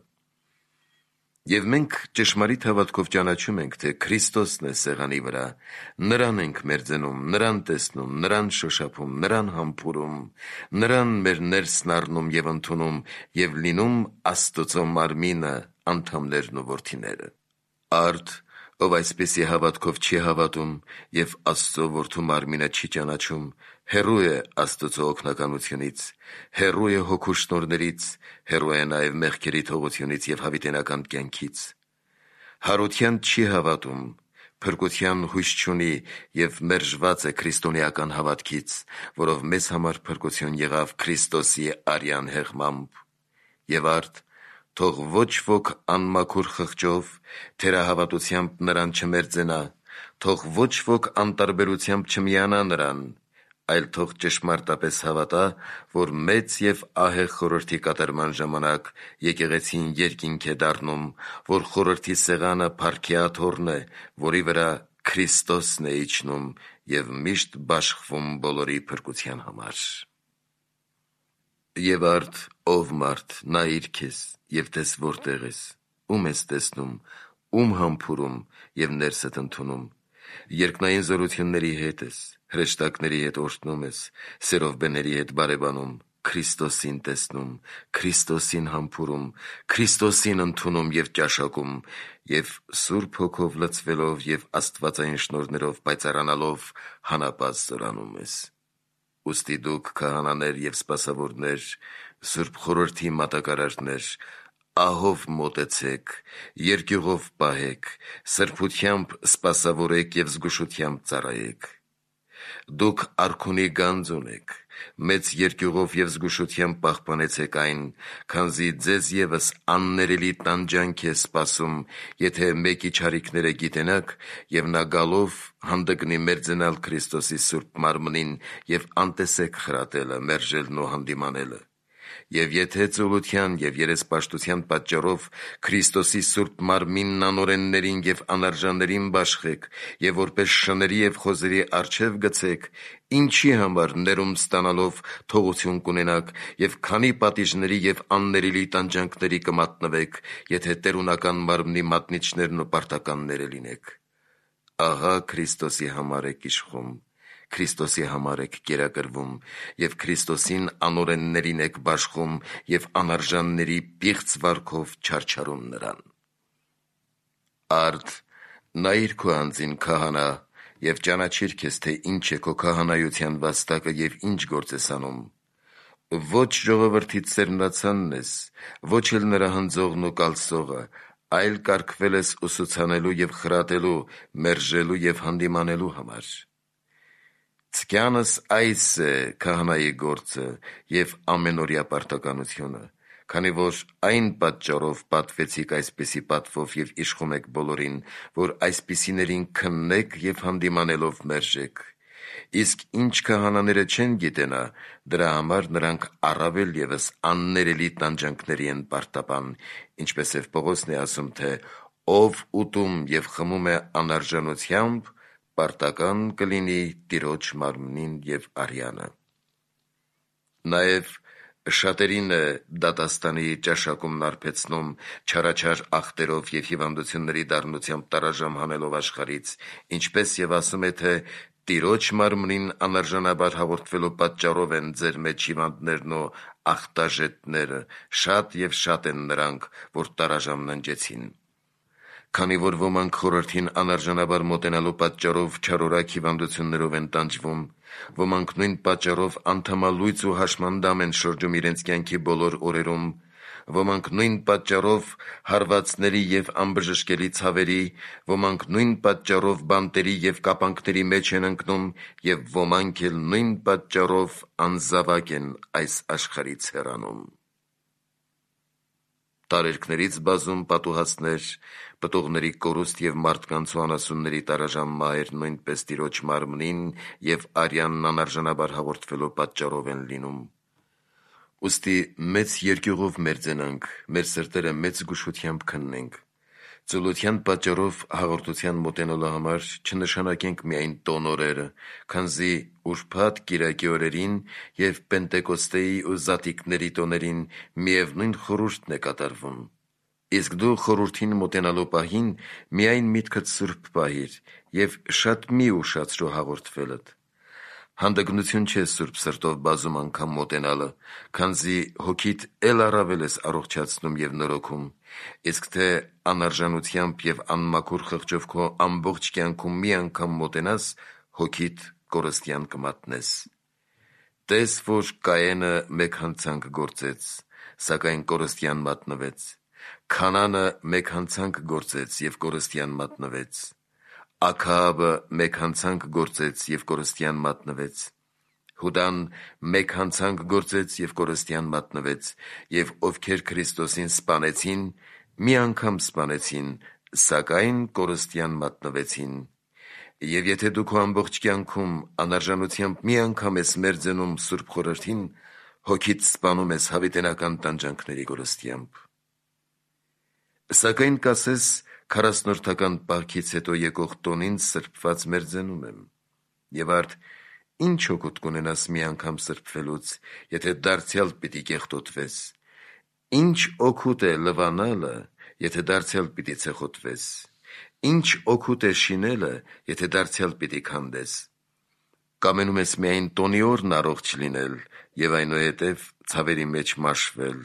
Եվ մենք ճշմարիտ հավատքով ճանաչում ենք, թե Քրիստոսն է սեղանի վրա, նրան ենք մերձենում, նրան տեսնում, նրան շոշափում, նրան համբուրում, նրան մեր ներսն առնում և ընդունում և լինում Աստծո մարմինը, անդամներն ու որդիները։ Արդ, ով այսպիսի հավատքով չի հավատում և Աստծո որդու մարմինը չի ճանաչում, հեռու է Աստծո օգնականությունից, հեռու է հոգու շնորհներից, հեռու է նաև մեղքերի թողությունից և հավիտենական կյանքից։ Հարության չի հավատում, փրկության հույս չունի և մերժված է քրիստոնեական հավատքից, որով մեզ համար փրկություն եղավ Քրիստոսի արյան հեղմամբ։ Եվ արդ, թող ոչ ոք անմաքուր խղճով, թերահավատությամբ նրան չմերձենա, թող ոչ ոք անտարբերությամբ չմիանա նրան, այլ թող ճշմարտապես հավատա, որ մեծ և ահեղ խորհրդի կատարման ժամանակ եկեղեցին երկինք է դառնում, որ խորհրդի սեղանը փառքի աթոռն է, որի վրա Քրիստոսն է իջնում և միշտ բաշխվում բոլորի փրկության համար։ Եվ արդ, ով մարդ, նայիր քեզ և տես որտեղ ես, ում ես տեսնում, ում համբուրում և ներսդ ընդունում, երկնային զորությունների հետ ես, հրեշտակների հետ օրհնում ես, սերովբեների հետ բարևանում, Քրիստոսին տեսնում, Քրիստոսին համբուրում, Քրիստոսին ընդունում և ճաշակում և Սուրբ Հոգով լցվելով և աստվածային շնորհներով պայծառանալով հանապազտ զորանում ես։ Ուստի դուք քահանաներ և սպասավորներ, Սուրբ Խորհրդի մատակարարներ, ահով մոտեցեք, երկյուղով պահեք, սրբությամբ սպասավորեք և զգուշությամբ ծառայեք։ Դուք արքունի գանձ ունեք, մեծ երկյուղով և զգուշությամբ պահպանեցեք այն, քանզի ձեզ ևս աններելի տանջանք է սպասում, եթե մեկի չարիքները գիտենաք, և նա գալով հանդգնի մերձենալ Քրիստոսի Սուրբ մարմնին և անտեսեք խրատելը, մերժելն ու հանդիմանելը։ Եվ եթե ծուլության և երեսպաշտության պատճառով Քրիստոսի Սուրբ մարմինն անօրեններին և անարժաններին բաշխեք և որպես շների և խոզերի առջև գցեք, ինչի համար ներում ստանալով թողություն կունենաք և քանի պատիժների և աններելի տանջանքների կմատնվեք, եթե տերունական մարմնի մատնիչներն ու պարտականները լինեք։ Ահա Քրիստոսի համար եք իշխում, Քրիստոսի համար եք կերակրվում և Քրիստոսին անօրեններին եք բաշխում և անարժանների պիղծ վարքով չարչարում նրան։ Արդ, նայիր քո անձին, քահանա, և ճանաչիր քեզ, թե ինչ է քո քահանայության վաստակը և ինչ գործ ես անում։ Ոչ ժողովրդից սերմնացանն ես, ոչ էլ նրա հնձողն ու կալսողը, այլ կարգվել ես ուսուցանելու և խրատելու, մերժելու և հանդիմանելու համար։ Ցկյանս այս է քահանայի գործը և ամենօրյա պարտականությունը, քանի որ այն պատճառով պատվեցիք այսպիսի պատվով և իշխում եք բոլորին, որ այսպիսիներին քննեք և հանդիմանելով մերժեք։ Իսկ ինչ քահանաները չեն գիտենա, դրա համար նրանք առավել ևս աններելի տանջանքների են պարտապան, ինչպես և Պողոսն է ասում, թե «Ով ուտում և խմում է անարժանությամբ, պարտական կլինի Տիրոջ մարմնին և արյանը»։ Նաև շատերին է դատաստանի ճաշակումն արբեցնում չարաչար ախտերով և հիվանդությունների դառնությամբ տարաժամ հանելով աշխարհից, ինչպես և ասում է, թե Տիրոջ մարմնին անարժանաբար հաղորդվելու պատճառով են ձեր մեջ հիվանդներն ու ախտաժետները, շատ և շատ են նրանք, որ տարաժամ ննջեցին։ Քանի որ ոմանք խորհրդին անարժանաբար մոտենալու պատճառով չարորակ հիվանդություններով են տանջվում, ոմանք նույն պատճառով անդամալույծ ու հաշմանդամ են շրջում իրենց կյանքի բոլոր օրերում, ոմանք նույն պատճառով հարվածների և անբժշկելի ցավերի, ոմանք նույն պատճառով բանտերի և կապանքների մեջ են ընկնում, և ոմանք էլ նույն պատճառով անզավակ են այս աշխարհից հեռանում։ Տարերքներից բազում պատուհասներ, պտուղների կորուստ և մարդկանց ու անասունների տարաժան մահեր նույնպես Տիրոջ մարմնին և արյանն անարժանաբար հաղորդվելու պատճառով են լինում։ Ուստի մեծ երկյուղով մերձենանք, մեր սրտերը մեծ զգուշությամբ քննենք։ Ծուլության պատճառով հաղորդության մոտենալու համար չնշանակենք միայն տոն օրերը, քանզի ուրբաթ կիրակի օրերին և Պենտեկոստեի ու Զատիկների տոներին միևնույն խորհուրդն է կատարվում։ Իսկ դու խորհրդին մոտենալու պահին միայն միտքդ սուրբ պահիր և շատ մի ուշացրու հաղորդվելդ։ Հանդգնություն չէ սուրբ սրտով բազում անգամ մոտենալը, քանզի հոգիդ էլ առավել ես առողջացնում և նորոգում, իսկ թե անարժանությամբ և անմաքուր խղճով քո ամբողջ կյանքում մի անգամ մոտենաս, հոգիդ կորստյան կմատնես։ Տես, որ Կայենը մեկ հանցանք գործեց, սակայն կորստյան մատնվեց, Քանանը մեկ հանցանք գործեց և կորստյան մատնվեց, Աքահաբը մեկ հանցանք գործեց և կորստյան մատնվեց, Հուդան մեկ հանցանք գործեց և կորստյան մատնվեց, և ովքեր Քրիստոսին սպանեցին, մի անգամ սպանեցին, սակայն կորստյան մատնվեցին։ Եվ եթե դու քո ամբողջ կյանքում անարժանությամբ մի անգամ ես մերձենում Սուրբ Խորհրդին, հոգիդ սպանում ես հավիտենական տանջանքների կորստությամբ։ Սակայն կասես, 40-րդական պահքից հետո եկող տոնին սրբված մերձենում եմ։ Եվ արդ ինչ օգուտ կունենաս մի անգամ սրբվելուց, եթե դարձյալ պիտի կեղտոտվես։ Ինչ օգուտ է լվանալը, եթե դարձյալ պիտի ցեխոտվես։ Ինչ օգուտ է շինելը, եթե դարձյալ պիտի քանդես։ Կամենում ես միայն տոնի օրն առողջ լինել և այնուհետև ցավերի մեջ մաշվել,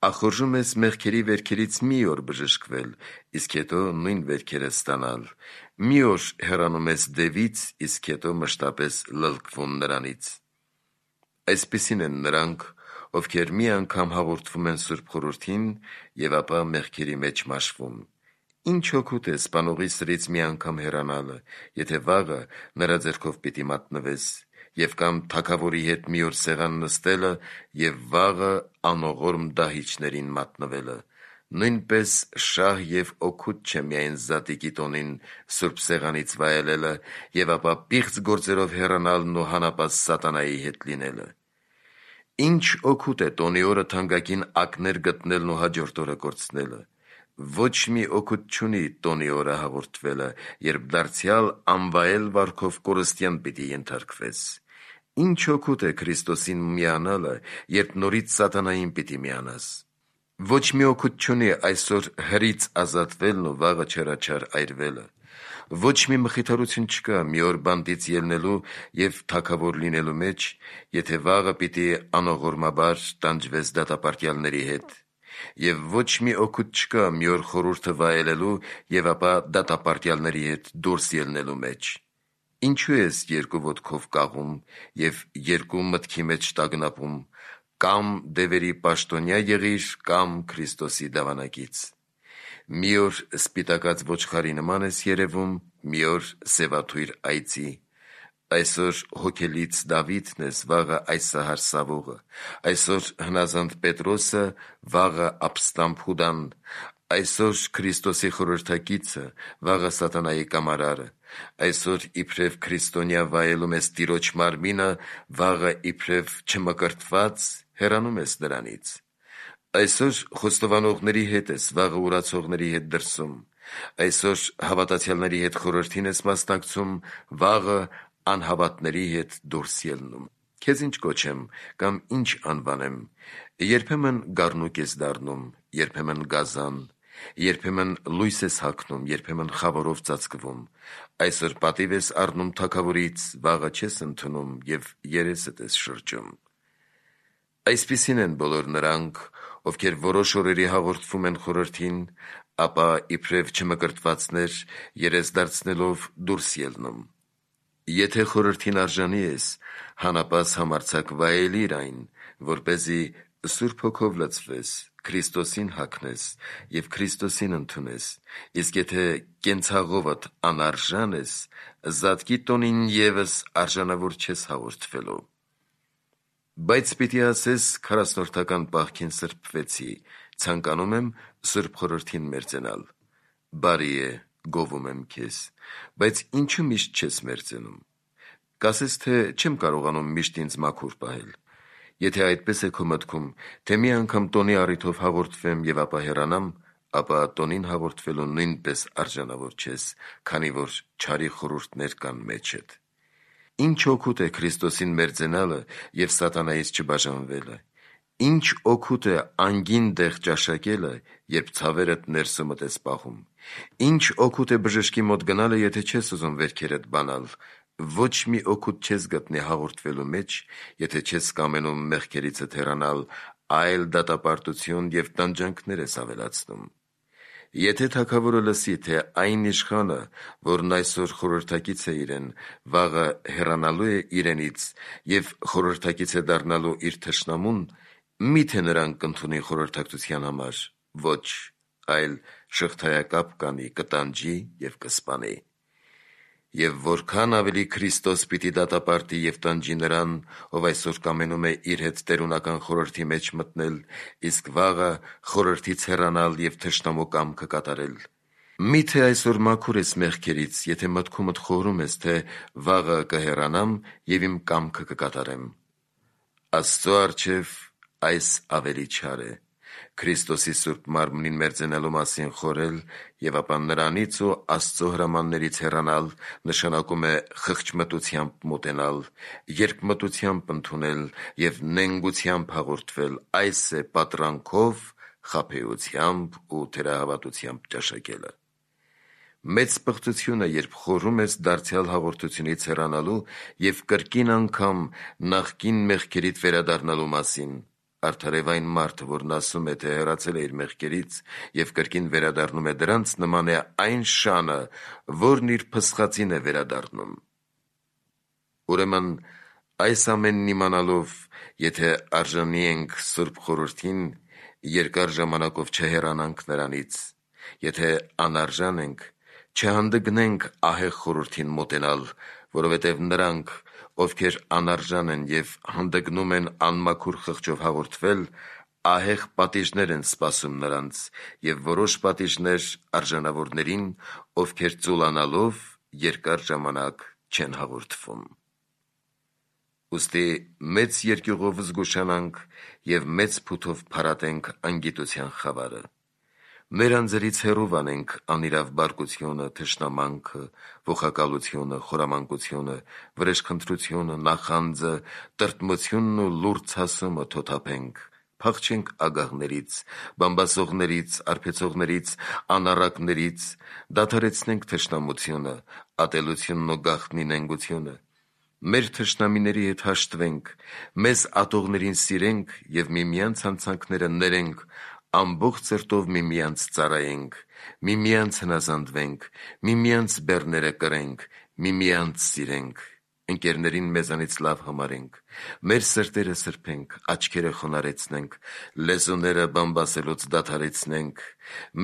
ախորժում ես մեղքերի վերքերից մի օր բժշկվել, իսկ հետո նույն վերքերը ստանալ, մի օր հեռանում ես դևից, իսկ հետո մշտապես լլկվում նրանից։ Այսպիսին են նրանք, ովքեր մի անգամ հաղորդվում են Սուրբ Խորհրդին և ապա մեղքերի մեջ մաշվում։ Ինչ օգուտ է սպանողի սրից մի անգամ հեռանալը, եթե վաղը նրա ձեռքով պիտի մատնվես, և կամ թագավորի հետ մի օր սեղան նստելը և վաղը անողորմ դահիճներին մատնվելը։ Նույնպես շահ և օգուտ չէ միայն Զատիկի տոնին սուրբ սեղանից վայելելը և ապա պիղծ գործերով հեռանալն ու հանապազ սատանայի հետ լինելը։ Ինչ օգուտ է տոնի օրը թանկագին ակներ գտնելն ու հաջորդ օրը կորցնելը։ Ոչ մի օգուտ չունի տոնի օրը հաղորդվելը, երբ դարձյալ անվայել վարքով կորստյան պիտի ենթարկվես։ Ինչ օգուտ է Քրիստոսին միանալը, երբ նորից սատանային պիտի միանաս։ Ոչ մի օգուտ չունի այսօր հրից ազատվելն ու վաղը չարաչար այրվելը։ Ոչ մի մխիթարություն չկա մի օր բանտից ելնելու և թագավոր լինելու մեջ, եթե վաղը պիտի անողորմաբար տանջվես դատապարտյալների հետ։ Եվ ոչ մի օգուտ չկա մի օր խորհուրդը վայելելու և ապա դատապարտյալների հետ դուրս ելնելու մեջ։ Ինչու ես երկու ոտքով կաղում և երկու մտքի մեջ տագնապում, կամ դևերի պաշտոնյա եղիր, կամ Քրիստոսի դավանակից։ Մի օր սպիտակած ոչխարի նման ես երևում, մի օր սևաթույր այծի։ Այսօր հոգելից Դավիթն ես, վաղը այսահար Սավողը, այսօր հնազանդ Պետրոսը, վաղը ապստամբ Հուդան, այսօր Քրիստոսի խորհրդակիցը, վաղը սատանայի կամարարը, այսօր իբրև քրիստոնյա վայելում ես Տիրոջ մարմինը, վաղը իբրև չմկրտված հեռանում ես նրանից։ Այսօր խոստովանողների հետ ես, վաղը ուրացողների հետ դրսում, այսօր հավատացյալների հետ խորհրդին ես մասնակցում, վաղը անհավատների հետ դուրս ելնում։ Քեզ ինչ կոչեմ կամ ինչ անվանեմ։ Երբեմն գառնուկ ես դառնում, երբեմն գազան, երբեմն լույս ես հագնում, երբեմն խավարով ծածկվում, այսօր պատիվ ես առնում թագավորից, վաղը չես ընդունում և երեսդ ես շրջում։ Այսպիսին են բոլոր նրանք, ովքեր որոշ օրերի հաղորդվում են խորհրդին, ապա իբրև չմկրտվածներ երես դարձնելով դուրս ելնում։ Եթե խորհրդին արժանի ես, հանապաս համարձակ վայելիր այն, որպեսզի Սուրբ Հոգով լցվես, Քրիստոսին հագնես և Քրիստոսին ընդունես, իսկ եթե կենցաղովդ անարժան ես, զատկի տոնին ևս արժանավոր չես հաղորդվելու։ Բայց պիտի ասես 40-ական պահքին սրբվեցի, ցանկանում եմ Սուրբ խորհրդին մերձենալ։ Բարի է, գովում եմ քեզ, բայց ինչու միշտ չես մերձենում։ Կասես, թե չեմ կարողանում միշտ ինձ մաքուր պահել։ Եթե այդպես է քո մտքում, թե մի անգամ տոնի առիթով հաղորդվեմ և ապա հեռանամ, ապա տոնին հաղորդվելու նույնպես արժանավոր չես, քանի որ չարի խորհուրդներ կան մեջդ։ Ինչ օգուտ է Քրիստոսին մերձենալը և սատանայից չբաժանվելը։ Ինչ օգուտ է անգին դեղ ճաշակելը, երբ ցավերդ ներսումդ ես պահում։ Ինչ օգուտ է բժշկի մոտ գնալը, եթե չես ուզում վերքերդ բանալ։ Ոչ մի օգուտ չես գտնի հաղորդվելու մեջ, եթե չես կամենում մեղքերիցդ հեռանալ, այլ դատապարտություն և տանջանքներ ես ավելացնում։ Եթե թագավորը լսի, թե այն իշխանը, որն այսօր խորհրդակից է իրեն, վաղը հեռանալու է իրենից և խորհրդակից է դառնալու իր թշնամուն, մի՞թե նրան կընդունի խորհրդակցության համար։ Ոչ, այլ շղթայակապ կանի, կտանջի և կսպանի։ Եվ որքան ավելի Քրիստոս պիտի դատապարտի և տանջի նրան, ով այսօր կամենում է իր հետ տերունական խորհրդի մեջ մտնել, իսկ վաղը խորհրդից հեռանալ և թշնամու կամքը կատարել։ Մի՞թե այսօր մաքուր ես մեղքերից, եթե մտքումդ խորհում ես, թե վաղը կհեռանամ և իմ կամքը կկատարեմ։ Աստծո առջև այս ավելի չար է։ Քրիստոսի Սուրբ Մարմնին մերձենալու մասին խորհել և ապա նրանից ու Աստծո հրամաններից հեռանալ նշանակում է խղճմտությամբ մոտենալ, երկմտությամբ ընդունել և նենգությամբ հաղորդվել, այս է պատրանքով, խաբեությամբ ու թերահավատությամբ ճաշակելը։ Մեծ պղծություն է, երբ խորհում ես դարձյալ հաղորդությունից հեռանալու և կրկին անգամ նախկին մեղքերիդ վերադառնալու մասին։ Արդարև այն մարդը, որն ասում է, թե հեռացել է իր մեղքերից և կրկին վերադառնում է դրանց, նման է այն շանը, որն իր փսխածին է վերադառնում։ Ուրեմն այս ամենն իմանալով, եթե արժանի ենք Սուրբ խորհրդին, երկար ժամանակով չհեռանանք նրանից, եթե անարժան ենք, չհանդգնենք ահեղ խորհրդին մոտենալ, որովհետև նրանք, ովքեր անարժան են և հանդգնում են անմաքուր խղճով հաղորդվել, ահեղ պատիժներ են սպասում նրանց և որոշ պատիժներ արժանավորներին, ովքեր ծուլանալով երկար ժամանակ չեն հաղորդվում։ Ուստի մեծ երկյուղով զգուշանանք և մեծ փութով փարատենք անգիտության խավարը։ Մեր անձերից հեռու անենք անիրավ բարկությունը, թշնամանքը, ողակալությունը, խորամանկությունը, վրեժխնդրությունը, նախանձը, տրտմությունն ու լուրջ հասումը թոթափենք, փախչենք ագահներից, բամբասողներից, արբեցողներից, անառակներից, դադարեցնենք թշնամությունը, ատելությունն ու գաղտնի նենգությունը։ Մեր թշնամիների հետ հաշտվենք, մեզ ատողներին սիրենք և միմյանց հանցանքները ներենք, ամբողջ սրտով միմյանց ծառայենք, միմյանց հնազանդվենք, միմյանց բեռները կրենք, միմյանց սիրենք, ընկերներին մեզանից լավ համարենք, մեր սրտերը սրբենք, աչքերը խոնարհեցնենք, լեզուները բամբասելուց դադարեցնենք,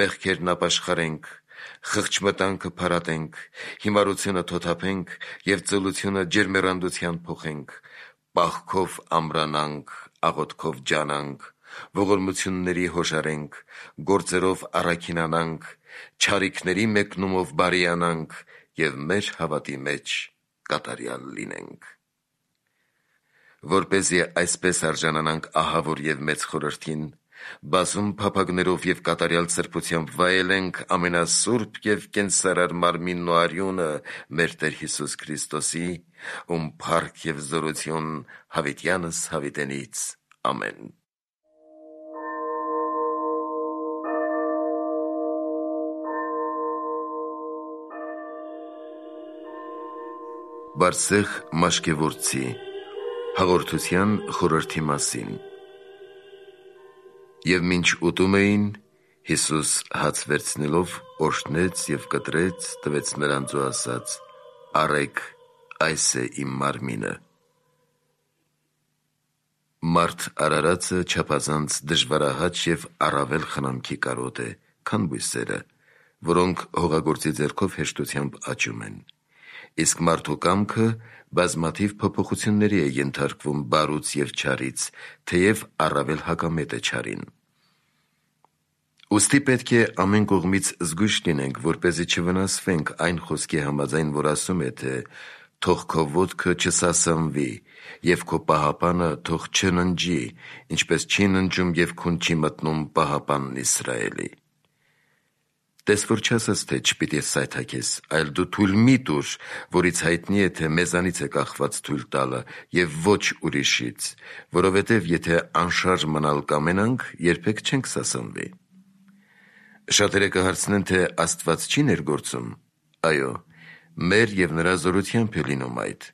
մեղքերն ապաշխարենք, խղճմտանքը փարատենք, հիմարությունը թոթափենք և ծուլությունը ջերմեռանդության փոխենք, պահքով ամրանանք, աղոթքով ջանանք, ողորմությունների հոժարենք, գործերով առաքինանանք, չարիքների մեկնումով բարիանանք և մեր հավատի մեջ կատարյալ լինենք։ Որպեսզի այսպես արժանանանք ահավոր և մեծ խորհրդին, բազում փափագներով և կատարյալ սրբությամբ վայելենք ամենասուրբ և կենսարար մարմինն ու արյունը մեր Տեր Հիսուս Քրիստոսի, ում փառք և զորություն հավիտյանս հավիտենից։ Ամեն։ Բարսեղ Մաշկևորցի հաղորդության խորհրդի մասին։ Եվ մինչ ուտում էին, Հիսուս հաց վերցնելով օրհնեց և կտրեց, տվեց նրանց ու ասաց. «Առեք, այս է իմ մարմինը»։ Մարդ արարածը չափազանց դժվարահաճ և առավել խնամքի կարոտ է, քան բույսերը, որոնք հողագործի ձեռքով հեշտությամբ աճում են։ Իսկ մարդու կամքը բազմաթիվ փոփոխությունների է ենթարկվում բարուց և չարից, թեև առավել հակամետ է չարին։ Ուստի պետք է ամեն կողմից զգույշ լինենք, որպեսզի չվնասվենք այն խոսքի համաձայն, որ ասում է, թե «Թող քո ոտքը չսասանվի, և քո պահապանը թող չննջի, ինչպես չի ննջում և քուն չի մտնում պահապանն Իսրայելի»։ Տես որ չասաս, թե չպիտի սայթաքես, այլ դու թույլ մի տուր, որից հայտնի է, թե մեզանից է կախված թույլ տալը, և ոչ ուրիշից, որովհետև եթե անշարժ մնալ կամենանք, երբեք չենք սասանվի։ Շատերը կհարցնեն, թե Աստված չի ներգործում։ Այո, մեր և նրա զորությամբ է լինում այդ։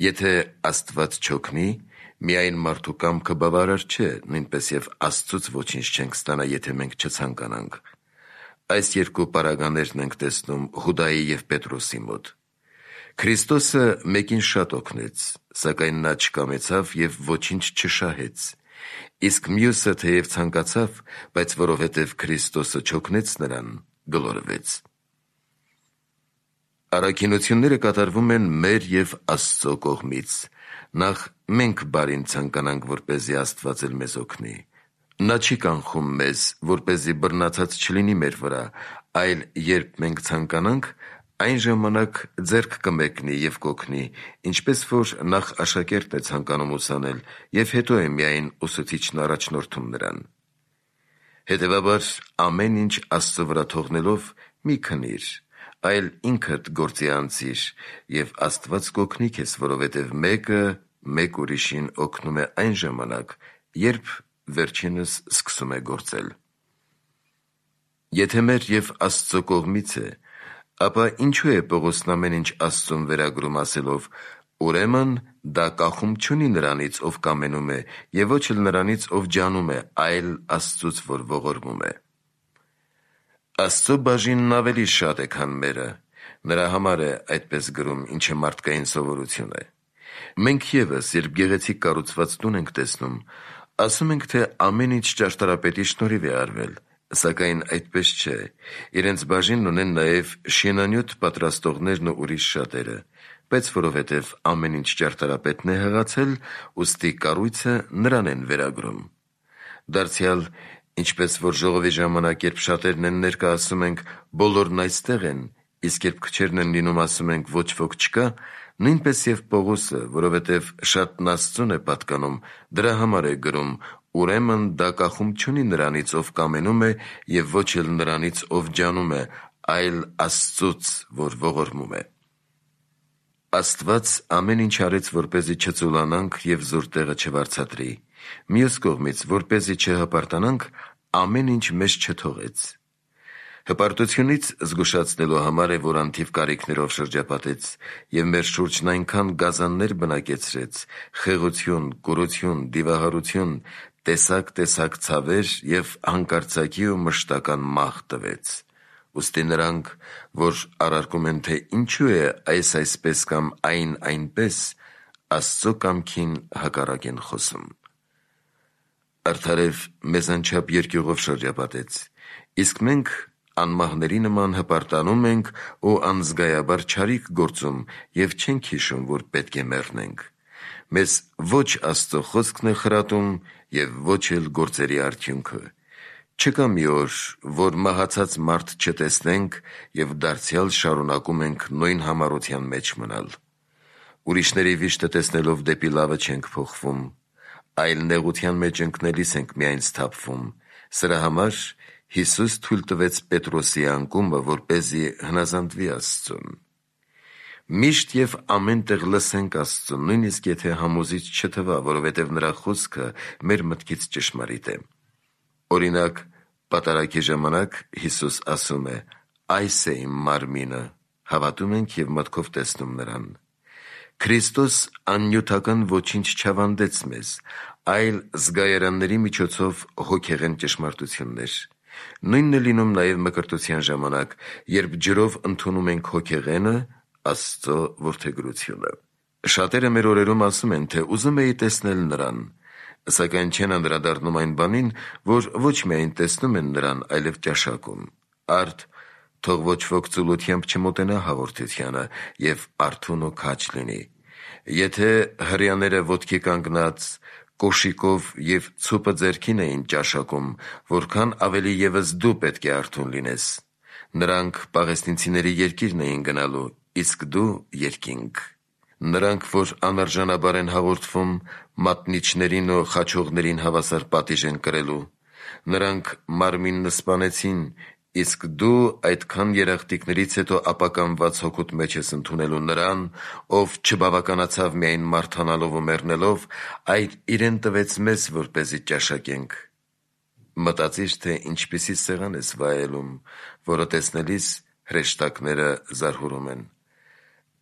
Եթե Աստված չօգնի, միայն մարդու կամքը բավարար չէ, նույնպես և Աստծուց ոչինչ չենք ստանա, եթե մենք չցանկանանք։ Այս երկու պարագաներն ենք տեսնում Հուդայի և Պետրոսի մոտ։ Քրիստոսը մեկին շատ օգնեց, սակայն նա չկամեցավ և ոչինչ չշահեց, իսկ մյուսը, թեև ցանկացավ, բայց որովհետև Քրիստոսը չօգնեց նրան, գլորվեց։ Առաքինությունները կատարվում են մեր և Աստծո կողմից։ Նախ մենք բարին ցանկանանք, որպեսզի Աստված էլ մեզ օգնի։ Նա չի կանխում մեզ, որպեսզի բռնացած չլինի մեր վրա, այլ երբ մենք ցանկանանք, այն ժամանակ ձեռք կմեկնի և կօգնի, ինչպես որ նախ աշակերտն է ցանկանում ուսանել, և հետո է միայն ուսուցիչն առաջնորդում նրան։ Հետևաբար, ամեն ինչ Աստծո վրա թողնելով, մի քնիր, այլ ինքդ գործի անցիր, և Աստված կօգնի քեզ, որովհետև մեկը մեկ ուրիշին օգնում է այն ժամանակ, երբ վերջինս սկսում է գործել։ Եթե մեր և Աստծո կողմից է, ապա ինչու է Պողոսն ամեն ինչ Աստծուն վերագրում ասելով. «Ուրեմն դա կախում չունի նրանից, ով կամենում է, և ոչ էլ նրանից, ով ջանում է, այլ Աստծուց, որ ողորմում է»։ Աստծո բաժինն ավելի շատ է, քան մերը։ Նրա համար է այդպես գրում, ինչը մարդկային սովորություն է։ Մենք ևս, երբ գեղեցիկ կառուցված տուն ենք տեսնում, ասում ենք, թե ամեն ինչ ճարտարապետի շնորհիվ է արվել, սակայն այդպես չէ։ Իրենց բաժինն ունեն նաև շինանյութ պատրաստողներն ու ուրիշ շատերը, բայց որովհետև ամեն ինչ ճարտարապետն է հղացել, ուստի կառույցը նրան են վերագրում։ Դարձյալ, ինչպես որ ժողովի ժամանակ, երբ շատերն են ներկա, ասում ենք. «Բոլորն այստեղ են», իսկ երբ քչերն են լինում, ասում ենք. «Ոչ ոք չկա», նույնպես և Պողոսը, որովհետև շատն Աստծուն է պատկանում, դրա համար է գրում. «Ուրեմն դա կախում չունի նրանից, ով կամենում է, և ոչ էլ նրանից, ով ջանում է, այլ Աստծուց, որ ողորմում է»։ Աստված ամեն ինչ արեց, որպեսզի չծուլանանք և զուր տեղը չվարձատրի։ Մյուս կողմից, որպեսզի չհպարտանանք, ամեն ինչ մեզ չթողեց։ Հպարտությունից զգուշացնելու համար է, որ անթիվ կարիքներով շրջապատեց և մեր շուրջն այնքան գազաններ բնակեցրեց, խեղություն, կուրություն, դիվահարություն, տեսակ ցավեր և հանկարծակի ու մշտական մահ տվեց։ Ուստի նրանք, որ առարկում են, թե ինչու է այս այսպես կամ այն այնպես, Աստծո կամքին հակառակ են խոսում։ Արդարև մեզ անչափ երկյուղով շրջապատեց, իսկ մենք անմահների նման հպարտանում ենք ու անզգայաբար չարիք գործում և չենք հիշում, որ պետք է մեռնենք։ Մեզ ոչ Աստծո խոսքն է խրատում և ոչ էլ գործերի արդյունքը։ Չկա մի օր, որ մահացած մարդ չտեսնենք և դարձյալ շարունակում ենք նույն համառության մեջ մնալ։ Ուրիշների վիշտը տեսնելով դեպի լավը չենք փոխվում, այլ նեղության մեջ ընկնելիս ենք միայն սթափվում։ Սրա համար Հիսուս թույլ տվեց Պետրոսի անկումը, որպեսզի հնազանդվի Աստծուն։ Միշտ և ամեն տեղ լսենք Աստծուն, նույնիսկ եթե համոզիչ չթվա, որովհետև նրա խոսքը մեր մտքից ճշմարիտ է։ Օրինակ, պատարագի ժամանակ Հիսուս ասում է. «Այս է իմ մարմինը», հավատում ենք և մտքով տեսնում նրան։ Քրիստոս աննյութական ոչինչ չավանդեց մեզ, այլ զգայարանների միջոցով հոգեղեն ճշմարտություններ։ Նույնն է լինում նաև մկրտության ժամանակ, երբ ջրով ընդունում ենք հոգեղենը, Աստծո որդեգրությունը։ Շատերը մեր օրերում ասում են, թե ուզում էի տեսնել նրան, սակայն չեն անդրադառնում այն բանին, որ ոչ միայն տեսնում են նրան, այլև ճաշակում։ Արդ թող ոչ ոք ծուլությամբ չմոտենա հաղորդությանը և արթուն ու քաջ լինի։ Եթե հրեաները ոտքի կանգնած, կոշիկով և ցուպը ձեռքին էին ճաշակում, որքան ավելի ևս դու պետք է արթուն լինես։ Նրանք պաղեստինցիների երկիրն էին գնալու, իսկ դու երկինք։ Նրանք, որ անարժանաբար են հաղորդվում, մատնիչներին ու խաչողներին հավասար պատիժ են կրելու։ Նրանք մարմինն սպանեցին, իսկ դու այդքան երախտիկներից հետո ապականված հոգուտ մեջ ես ընդունելու նրան, ով չբավականացավ միայն մարդանալով ու մեռնելով, այլ իրեն տվեց մեզ, որպեսզի ճաշակենք։ Մտածիր, թե ինչպիսի սեղան ես վայելում, որը տեսնելիս հրեշտակները զարհուրում են։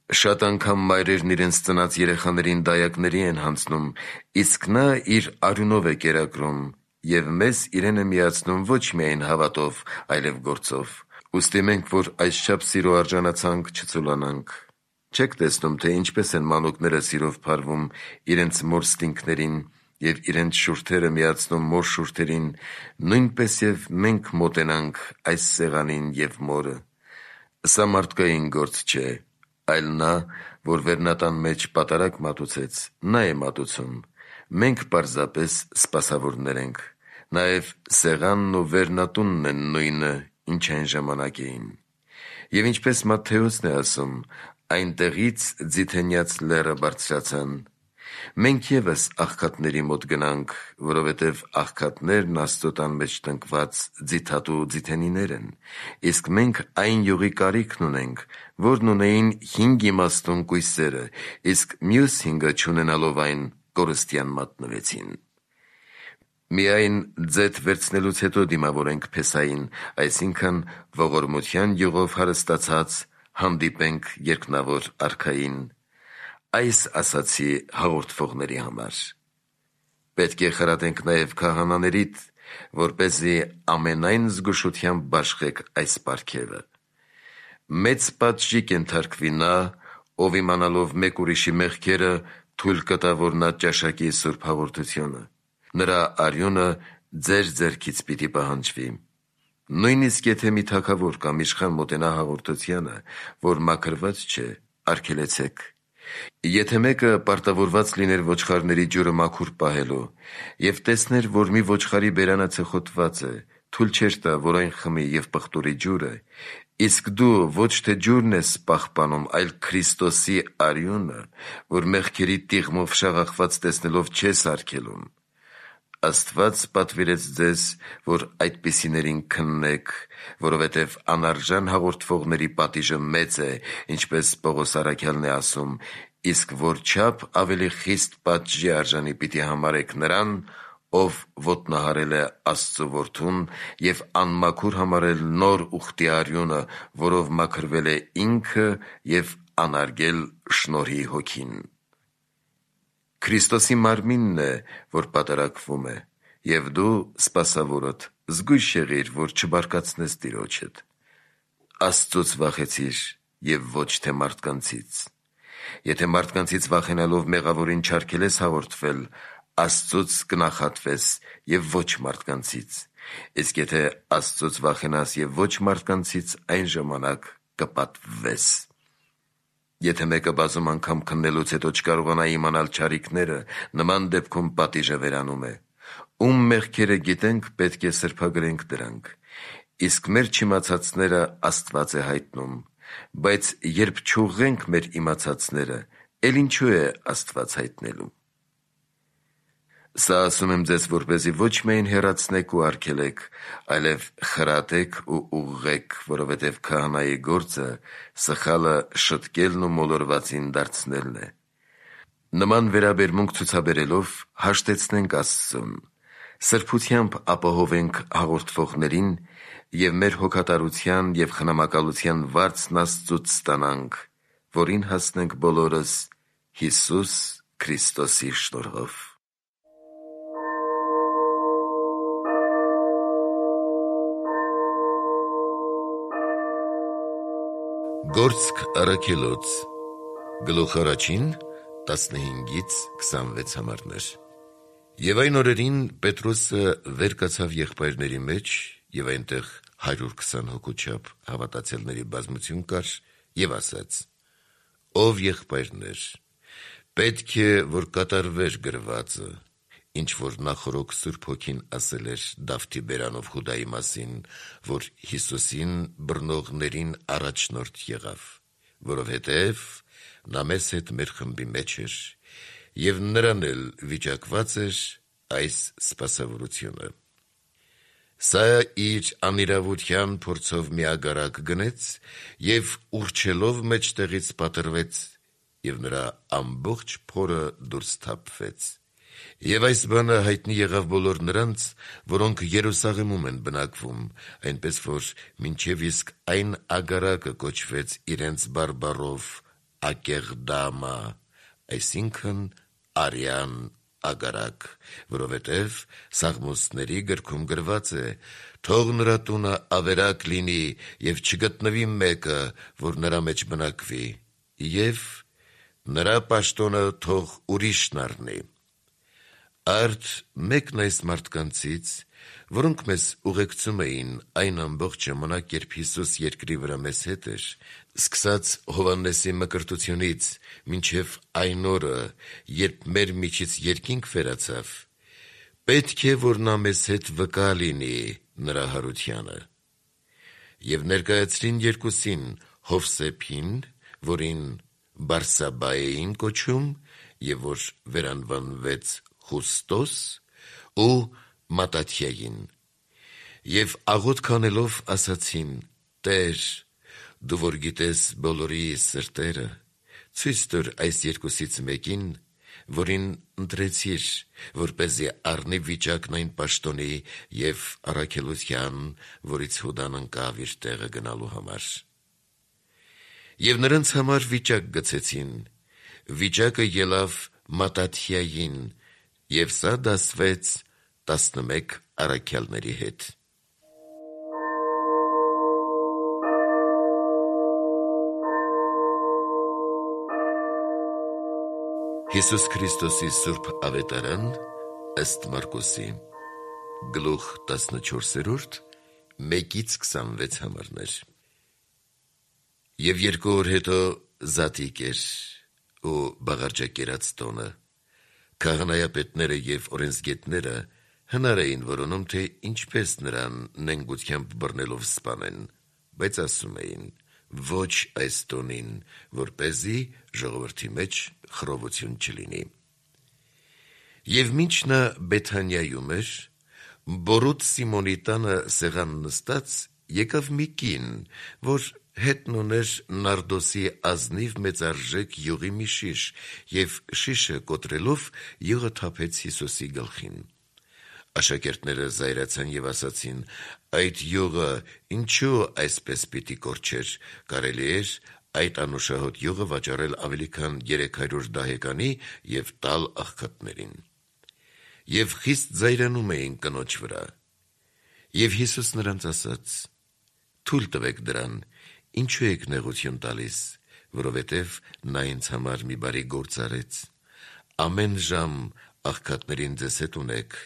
Շատ անգամ մայրերն իրենց ծնած երեխաներին դայակների են հանձնում, իսկ նա իր արյունով է կերակրում և մեզ իրեն է միացնում ոչ միայն հավատով, այլև գործով։ Ուստի մենք, որ այսչափ սիրո արժանացանք, չծուլանանք։ Չեք տեսնում, թե ինչպես են մանուկները սիրով փարվում իրենց մոր ստինքներին և իրենց շուրթերը միացնում մոր շուրթերին, նույնպես և մենք մոտենանք այս սեղանին և մորը։ Սա մարդկային գործ չէ, այլ նա, որ վերնատան մեջ պատարագ մատուցեց, նա է մատուցում, մենք պարզապես սպասավորներ ենք։ Նաև սեղանն ու վերնատունն են նույնը, ինչ այն ժամանակ էին։ Եվ ինչպես Մատթեոսն է ասում, այնտեղից ձիթենյաց լեռը բարձրացան։ Մենք ևս աղքատների մոտ գնանք, որովհետև աղքատներն Աստծո տան մեջ տնկված ձիթատու ձիթենիներ են, իսկ մենք այն յուղի կարիքն ունենք, որն ունեին 5 իմաստուն կույսերը, իսկ մյուս 5-ը չունենալով այն, կորստյան մատնվեցին։ Միայն ձեթ վերցնելուց հետո դիմավորենք փեսային, այսինքն ողորմության յուղով հարստացած հանդիպենք երկնավոր արքային։ Այս ասացի հաղորդվողների համար։ Պետք է խրատենք նաև քահանաներիդ, որպեսզի ամենայն զգուշությամբ բաշխեք այս պարգևը։ Մեծ պատժի կենթարկվի նա, ով իմանալով մեկ ուրիշի մեղքերը թույլ կտա, որ նա ճաշակի սուրբ հաղորդությունը։ Նրա արյունը ձեր ձեռքից պիտի պահանջվի։ Նույնիսկ եթե մի թագավոր կամ իշխան մոտենա հաղորդությանը, որ մաքրված չէ, արգելեցեք։ Եթե մեկը պարտավորված լիներ ոչխարների ջուրը մաքուր պահելու և տեսներ, որ մի ոչխարի բերանը ցխոտված է, թույլ չէր տա, որ այն խմի և պղտորի ջուրը, իսկ դու ոչ թե ջուրն ես պահպանում, այլ Քրիստոսի արյունը, որ մեղքերի տիղմով շաղախված տեսնելով չես արգելում։ Աստված պատվիրեց ձեզ, որ այդպիսիներին քննեք, որովհետև անարժան հաղորդվողների պատիժը մեծ է, ինչպես Պողոս առաքյալն է ասում, իսկ որչափ ավելի խիստ պատժի արժանի պիտի համարեք նրան, ով ոտնահարել է Աստծո որդուն և անմաքուր համարել նոր ուխտի արյունը, որով մաքրվել է ինքը և անարգել շնորհի հոգին։ Քրիստոսի մարմինն է, որ պատարագվում է, և դու, սպասավորդ, զգույշ եղիր, որ չբարկացնես Տիրոջդ։ Աստծուց վախեցիր և ոչ թե մարդկանցից։ Եթե մարդկանցից վախենալով մեղավորին չարգելես հաղորդվել, Աստծուց կնախատվես և ոչ մարդկանցից, իսկ եթե Աստծուց վախենաս և ոչ մարդկանցից, այն ժամանակ կպատվվես։ Եթե մեկը բազում անգամ քննելուց հետո չկարողանա իմանալ չարիքները, նման դեպքում պատիժը վերանում է։ Ում մեղքերը գիտենք, պետք է սրբագրենք դրանք, իսկ մեր չիմացածները Աստված է հայտնում, բայց երբ չուղղենք մեր իմացածները, էլ ինչու է Աստված հայտնելու։ Սա ասում եմ ձեզ, որպեսզի ոչ միայն հեռացնեք ու արգելեք, այլև խրատեք ու ուղղեք, որովհետև քահանայի գործը սխալը շտկելն ու մոլորվածին դարձնելն է։ Նման վերաբերմունք ցուցաբերելով հաշտեցնենք Աստծուն, սրբությամբ ապահովենք հաղորդվողներին և մեր հոգատարության և խնամակալության վարձն Աստծուց ստանանք, որին հասնենք բոլորս Հիսուս Քրիստոսի շնորհով։ Գործք առաքելոց գլուխ առաջին 15-26 համարներ։ Եվ այն օրերին Պետրոսը վեր կացավ եղբայրների մեջ, եւ այնտեղ 120 հոգու չափ հավատացյալների բազմություն կար, եւ ասաց. «Ով եղբայրներ, պետք է, որ կատարվեր գրվածը, ինչ որ նախորոք Սուրբ Հոգին ասել էր Դավթի բերանով Հուդայի մասին, որ Հիսուսին բռնողներին առաջնորդ եղավ, որովհետև նա մեզ հետ մեր խմբի մեջ էր, եւ նրան էլ վիճակված էր այս սպասավորությունը։ Սա իր անիրավության փորձով մի ագարակ գնեց եւ ուռչելով մեջտեղից պատրվեց, եւ նրա ամբողջ փորը դուրս թափվեց։ Եվ այս բանը հայտնի եղավ բոլոր նրանց, որոնք Երուսաղեմում են բնակվում, այնպես որ մինչև իսկ այն ագարակը կոչվեց իրենց բարբառով Ակեղդամա, այսինքն արյան ագարակ, որովհետև Սաղմոսների գրքում գրված է. «Թող նրա տունը ավերակ լինի եւ չգտնվի մեկը, որ նրա մեջ բնակվի, եւ նրա պաշտոնը թող ուրիշն առնի»։ Արդ մեկն այս մարդկանցից, որոնք մեզ ուղեկցում էին այն ամբողջ ժամանակ, երբ Հիսուս երկրի վրա մեզ հետ էր, սկսած Հովհաննեսի մկրտությունից մինչև այն օրը, երբ մեր միջից երկինք վերացավ, պետք է, որ նա մեզ հետ վկա լինի նրա հարությանը։ Եվ ներկայացրին երկուսին Հովսեփին, որին Բարսաբա էին կոչում, եւ որ վերանվանվեց Խուստոս, ու Մատաթիային, եւ աղոթք անելով ասացին. «Տեր, դու որ գիտես բոլորի սրտերը, ցույց տուր այս երկուսից մեկին, որին ընտրեցիր, որպեսզի առնի վիճակն այն պաշտոնի եւ առաքելության, որից Հուդան ընկավ իր տեղը գնալու համար»։ Եվ նրանց համար վիճակ գցեցին, վիճակը ելավ Մատաթիային, եւ սա դասվեց 11 առաքյալների հետ։ Հիսուս Քրիստոսի Սուրբ Ավետարան ըստ Մարկոսի, գլուխ 14, 1-26 համարներ։ Եվ 2 օր հետո Զատիկ էր ու բաղարջակերած տոնը։ Քահանայապետները եւ օրենսգետները հնար էին որոնում, թե ինչպես նրան նենգությամբ բռնելով սպանեն, բայց ասում էին. ոչ այս տոնին, որպեսզի ժողովրդի մեջ խռովություն չլինի։ Եվ մինչ նա Բեթանիայում էր, Բորոտ Սիմոնի տանը սեղան նստած, եկավ մի կին, որ հետն ուներ նարդոսի ազնիվ մեծարժեք յուղի մի շիշ, եւ շիշը կոտրելով յուղը թափեց Հիսուսի գլխին։ Աշակերտները զայրացան եւ ասացին. «Այդ յուղը ինչու այսպես պիտի կորչեր, կարելի էր այդ անուշահոտ յուղը վաճառել ավելի քան 300 դահեկանի եւ տալ աղքատներին»։ Եվ խիստ զայրանում էին կնոջ վրա։ Եվ Հիսուս նրանց ասաց. «Թույլ տվեք դրան, ինչու եք նեղություն տալիս, որովհետև նա ինձ համար մի բարի գործ արեց։ Ամեն ժամ աղքատներին ձեզ հետ ունեք,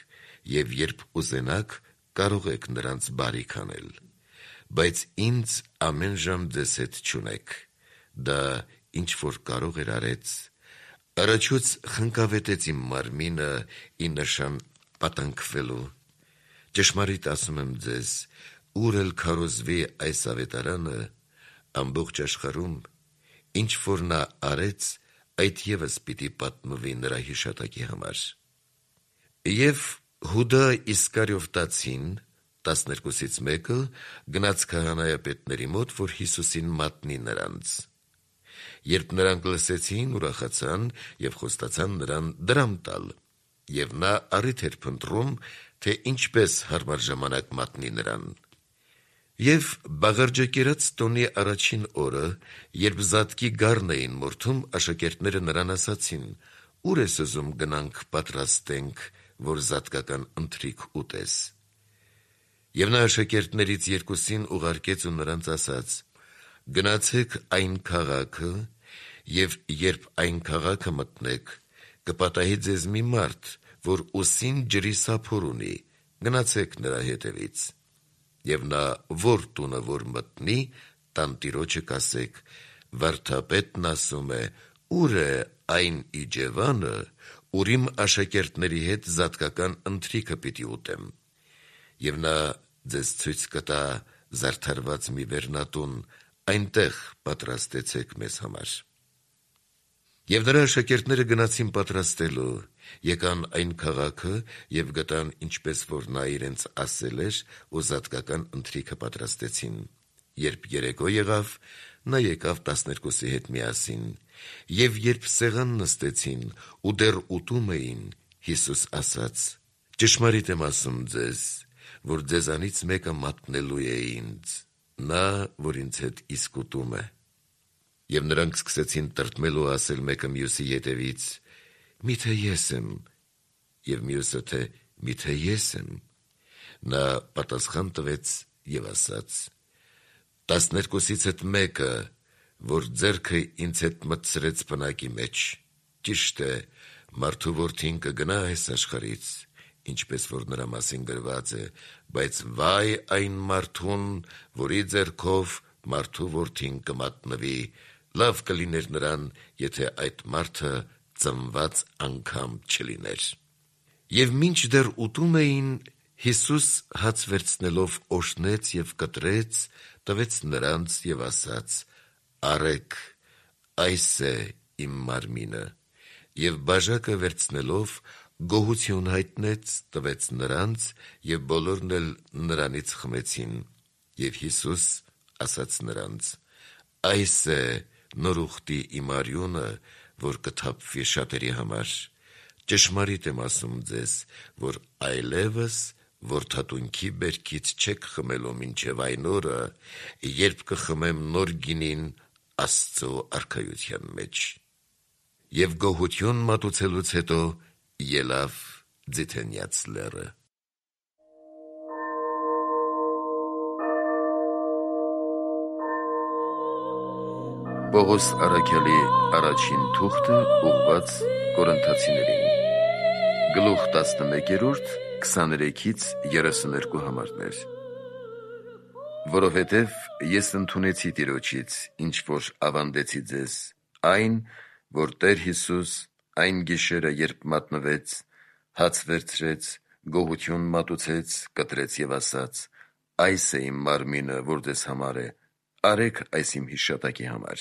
եւ երբ ուզենաք, կարող եք նրանց բարիք անել, բայց ինձ ամեն ժամ ձեզ հետ չունեք»։ Դա ինչ որ կարող էր արեց, առաջուց խնկավետեց իմ մարմինը ի նշան պատանքվելու։ Ճշմարիտ ասում եմ ձեզ, ուր էլ քարոզվի այս ավետարանը ամբողջ աշխարհում, ինչ որ նա արեց, այդ ևս պիտի պատմվի նրա հիշատակի համար։ Եվ Հուդա Իսկարիովտացին, 12-ից մեկը, գնաց քահանայապետների մոտ, որ Հիսուսին մատնի նրանց։ Երբ նրանք լսեցին, ուրախացան եւ խոստացան նրան դրամ տալ, եւ նա առիթ էր փնտրում, թե ինչպես հարմար ժամանակ մատնի նրան։ Եվ բաղարջակերած տոնի առաջին օրը, երբ Զատկի գառն էին մորթում, աշակերտները նրան ասացին. «Ուր ես ուզում գնանք պատրաստենք, որ զատկական ընթրիք ուտես»։ Եվ նա աշակերտներից երկուսին ուղարկեց ու նրանց ասաց. Գնացեք այն քաղաքը, եւ երբ այն քաղաքը մտնեք, կպատահի ձեզ մի մարդ, որ ուսին ջրի սափոր ունի, գնացեք նրա հետևից, եւ նա որ տունը որ մտնի, տանտիրոջը կասեք. վարդապետն ասում է, ուր է այն իջևանը, ուր իմ աշակերտների հետ զատկական ընթրիքը պիտի ուտեմ, եւ նա ձեզ ցույց կտա զարդարված մի վերնատուն, այնտեղ պատրաստեցեք մեզ համար։ Եվ նրա աշակերտները գնացին պատրաստելու, եկան այն քաղաքը եւ գտան ինչպես որ նա իրենց ասել էր, ու զատկական ընթրիքը պատրաստեցին։ Երբ երեկո եղավ, նա եկավ 12-ի հետ միասին, եւ երբ սեղան նստեցին ու դեռ ուտում էին, Հիսուս ասաց. ճշմարիտ եմ ասում ձեզ, որ ձեզանից մեկը մատնելու է ինձ, նա, որ ինձ հետ իսկ ուտում է։ Եվ նրանք սկսեցին տրտմել ու ասել մեկը մյուսի ետևից. միթե ես եմ, եւ մյուսը թե միթե ես եմ։ Նա պատասխան տվեց եւ ասաց. 12-ից հետ մեկը, որ ձեռքը ինձ հետ մտցրեց բնակի մեջ, ճիշտ է, մարդու որդին կգնա այս աշխարհից, ինչպես որ նրա մասին գրված է, բայց վայ այն մարդուն, որի ձեռքով մարդու որդին կմատնվի, լավ կլիներ նրան, եթե այդ մարդը ծնված անգամ չլիներ։ Եվ մինչ դեռ ուտում էին, Հիսուս հաց վերցնելով օրհնեց եւ կտրեց, տվեց նրանց եւ ասաց. արեք, այս է իմ մարմինը, եւ բաժակը վերցնելով գոհություն հայտնեց, տվեց նրանց, եւ բոլորն էլ նրանից խմեցին, եւ Հիսուս ասաց նրանց. այս է նոր ուխտի իմ արյունը, որ կթափվի շատերի համար, ճշմարիտ եմ ասում ձեզ, որ այլևս որդատունքի բերքից չեք խմելու մինչև այն օրը, երբ կխմեմ նոր գինին Աստծո արքայության մեջ։ Եվ գոհություն մատուցելուց հետո ելավ Ձիթենյաց լեռը։ Պողոս առաքյալի առաջին թուղթը ուղղված Կորինթացիներին, գլուխ 11, 23-32 համարներ։ Որովհետև ես ընդունեցի Տիրոջից, ինչ որ ավանդեցի ձեզ, այն, որ Տեր Հիսուս այն գիշերը, երբ մատնվեց, հաց վերցրեց, գոհություն մատուցեց, կտրեց եւ ասաց. այս է իմ մարմինը, որ ձեզ համար է, արեք այս իմ հիշատակի համար։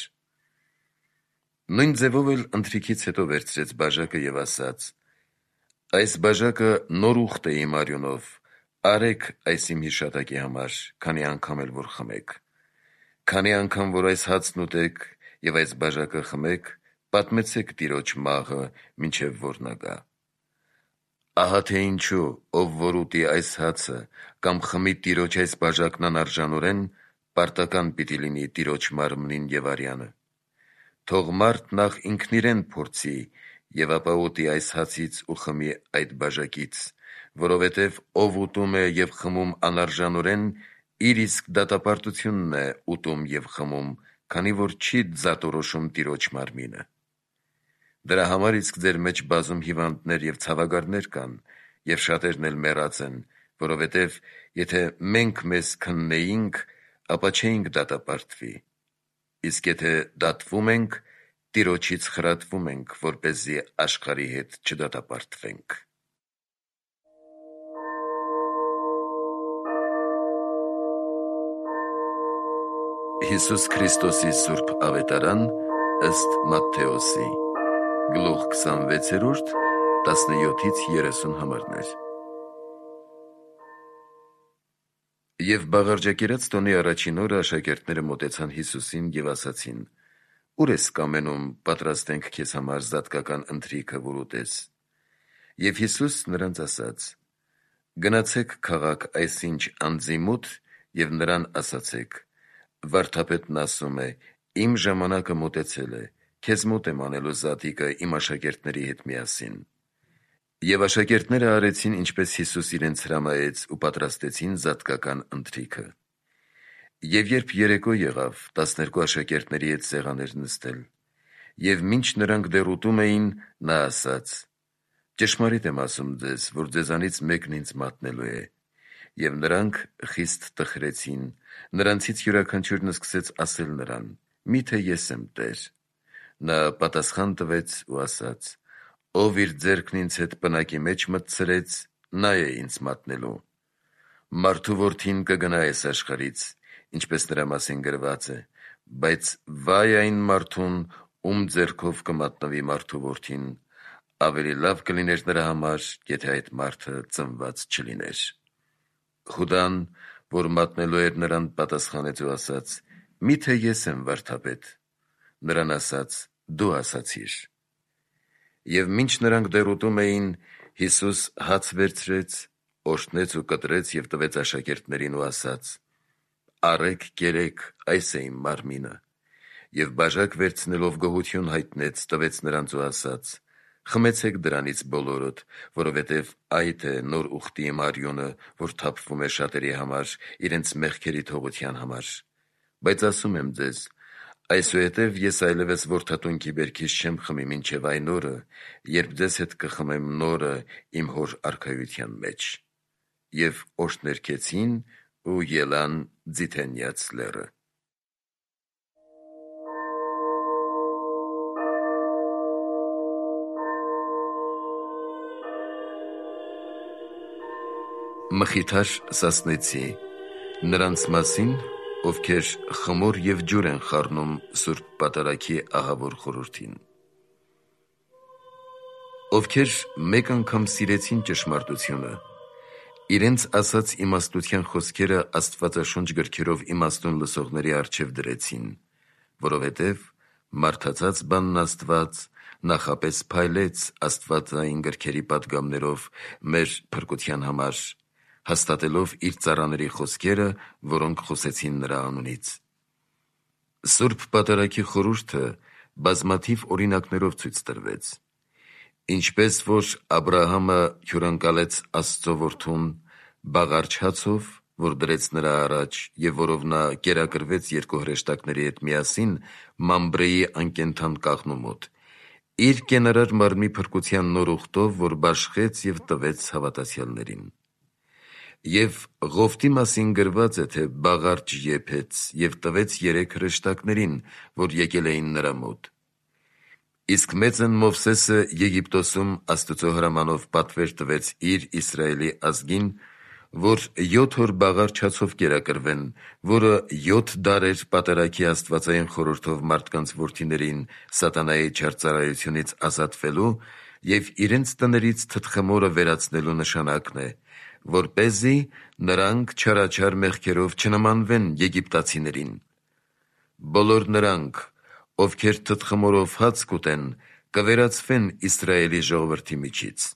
Նույն ձևով էլ ընթրիքից հետո վերցրեց բաժակը եւ ասաց. այս բաժակը նոր ուխտ է իմ արյունով, արեք այս իմ հիշատակի համար, քանի անգամ էլ որ խմեք։ Քանի անգամ որ այս հացն ուտեք եւ այս բաժակը խմեք, պատմեցեք Տիրոջ մահը, մինչև որ նա գա։ Ահա թե ինչու, ով որ ուտի այս հացը կամ խմի Տիրոջ այս բաժակն անարժանորեն, պարտական պիտի լինի Տիրոջ մարմնին եւ արյանը։ Թող մարդ նախ ինքն իրեն փորձի եւ ապա ուտի այս հացից ու խմի այդ բաժակից, որովհետև ով ուտում է եւ խմում անարժանորեն, իր իսկ դատապարտությունն է ուտում եւ խմում, քանի որ չի ձատորոշում Տիրոջ մարմինը։ Դրա համար իսկ ձեր մեջ բազում հիվանդներ եւ ցավագարներ կան, եւ շատերն էլ մեռած են, որովհետև եթե մենք մեզ քննեինք, ապա չէինք դատապարտվի, իսկ եթե դատվում ենք, Տիրոջից խրատվում ենք, որպեսզի աշխարհի հետ չդատապարտվենք։ Հիսուս Քրիստոսի Սուրբ Ավետարան ըստ Մատթեոսի, գլուխ 26, 17-30 համարներ։ Եվ բաղարջակերած տոնի առաջին օրը աշակերտները մոտեցան Հիսուսին եւ ասացին. «Ուր ես կամենում պատրաստենք քեզ համար զատկական ընթրիքը, որ ուտես»։ Եվ Հիսուս նրանց ասաց. «Գնացեք քաղաք այսինչ անձի մոտ եւ նրան ասացեք. վարդապետն ասում է. իմ ժամանակը մոտեցել է, քեզ մոտ եմ անելու զատիկը իմ աշակերտների հետ միասին»։ Եվ աշակերտները արեցին, ինչպես Հիսուս իրենց հրամայեց ու պատրաստեցին զատկական ընթրիքը։ Եվ երբ երեկո եղավ, 12 աշակերտների հետ սեղան էր նստել, և մինչ նրանք դեռ ուտում էին, նա ասաց. «Ճշմարիտ եմ ասում ձեզ, որ ձեզանից մեկն ինձ մատնելու է»։ Եվ նրանք խիստ տխրեցին, նրանցից յուրաքանչյուրն սկսեց ասել նրան. «Միթե ես եմ, Տեր»։ Նա պատասխան տվեց ու ասաց. «Ով իր ձեռքն ինձ հետ պնակի մեջ մտցրեց, նա է ինձ մատնելու։ Մարդու որդին կգնա այս աշխարհից, ինչպես նրա մասին գրված է, բայց վայ այն մարդուն, ում ձեռքով կմատնվի մարդու որդին, ավելի լավ կլիներ նրա համար, եթե այդ մարդը ծնված չլիներ»։ Խուդան, որ մատնելու էր նրան, պատասխանեց ու ասաց. «Միթե ես եմ, վարդապետ»։ Նրան ասաց. «Դու ասացիր»։ Եվ մինչ նրանք դեռ ուտում էին, Հիսուս հաց վերցրեց, օրհնեց ու կտրեց և տվեց աշակերտներին ու ասաց. «Առեք, կերեք, այս է իմ մարմինը»։ Եվ բաժակ վերցնելով գոհություն հայտնեց, տվեց նրանց ու ասաց. «Խմեցեք դրանից բոլորդ, որովհետև այդ է նոր ուխտի իմ արյունը, որ թափվում է շատերի համար, իրենց մեղքերի թողության համար։ Բայց ասում եմ ձեզ, այսուհետև ես այլևս որդատունքի բերքից չեմ խմի մինչև այն օրը, երբ ձեզ հետ կխմեմ նորը իմ Հոր արքայության մեջ»։ Եվ օրհներգեցին ու ելան Ձիթենյաց լեռը։ Մխիթար Սասնեցի նրանց մասին, ովքեր խմոր և ջուր են խառնում Սուրբ Պատարագի ահավոր խորհրդին։ Ովքեր մեկ անգամ սիրեցին ճշմարտությունը, իրենց ասած իմաստության խոսքերը Աստվածաշունչ գրքերով իմաստուն լսողների առջև դրեցին, որովհետև մարդածած բանն Աստված նախապես փայլեց աստվածային գրքերի պատգամներով մեր փրկության համար, հաստատելով իր ծառաների խոսքերը, որոնք խոսեցին նրա անունից։ Սուրբ Պատարագի խորհուրդը բազմաթիվ օրինակներով ցույց տրվեց։ Ինչպես որ Աբրահամը հյուրընկալեց Աստծո որդուն բաղարջ հացով, որ դրեց նրա առաջ, և որով նա կերակրվեց երկու հրեշտակների հետ միասին Մամբրեի անկենդան կաղնու մոտ, իր կենարար մարմնի փրկության նոր ուխտով, որ բաշխեց և տվեց հավատացյալներին։ Եվ Ղովտի մասին գրված է, թե բաղարջ եփեց և տվեց 3 հրեշտակներին, որ եկել էին նրա մոտ։ Իսկ մեծն Մովսեսը Եգիպտոսում Աստծո հրամանով պատվեր տվեց իր Իսրայելի ազգին, որ 7 օր բաղարջ հացով կերակրվեն, որը 7 դարեր Պատարագի աստվածային խորհրդով մարդկանց որդիներին սատանայի չար ծառայությունից ազատվելու և իրենց տներից թտխմորը վերացնելու նշանակն է, որպեսզի նրանք չարաչար մեղքերով չնմանվեն եգիպտացիներին։ Բոլոր նրանք, ովքեր թտխմորով հաց կուտեն, կվերացվեն Իսրայելի ժողովրդի միջից։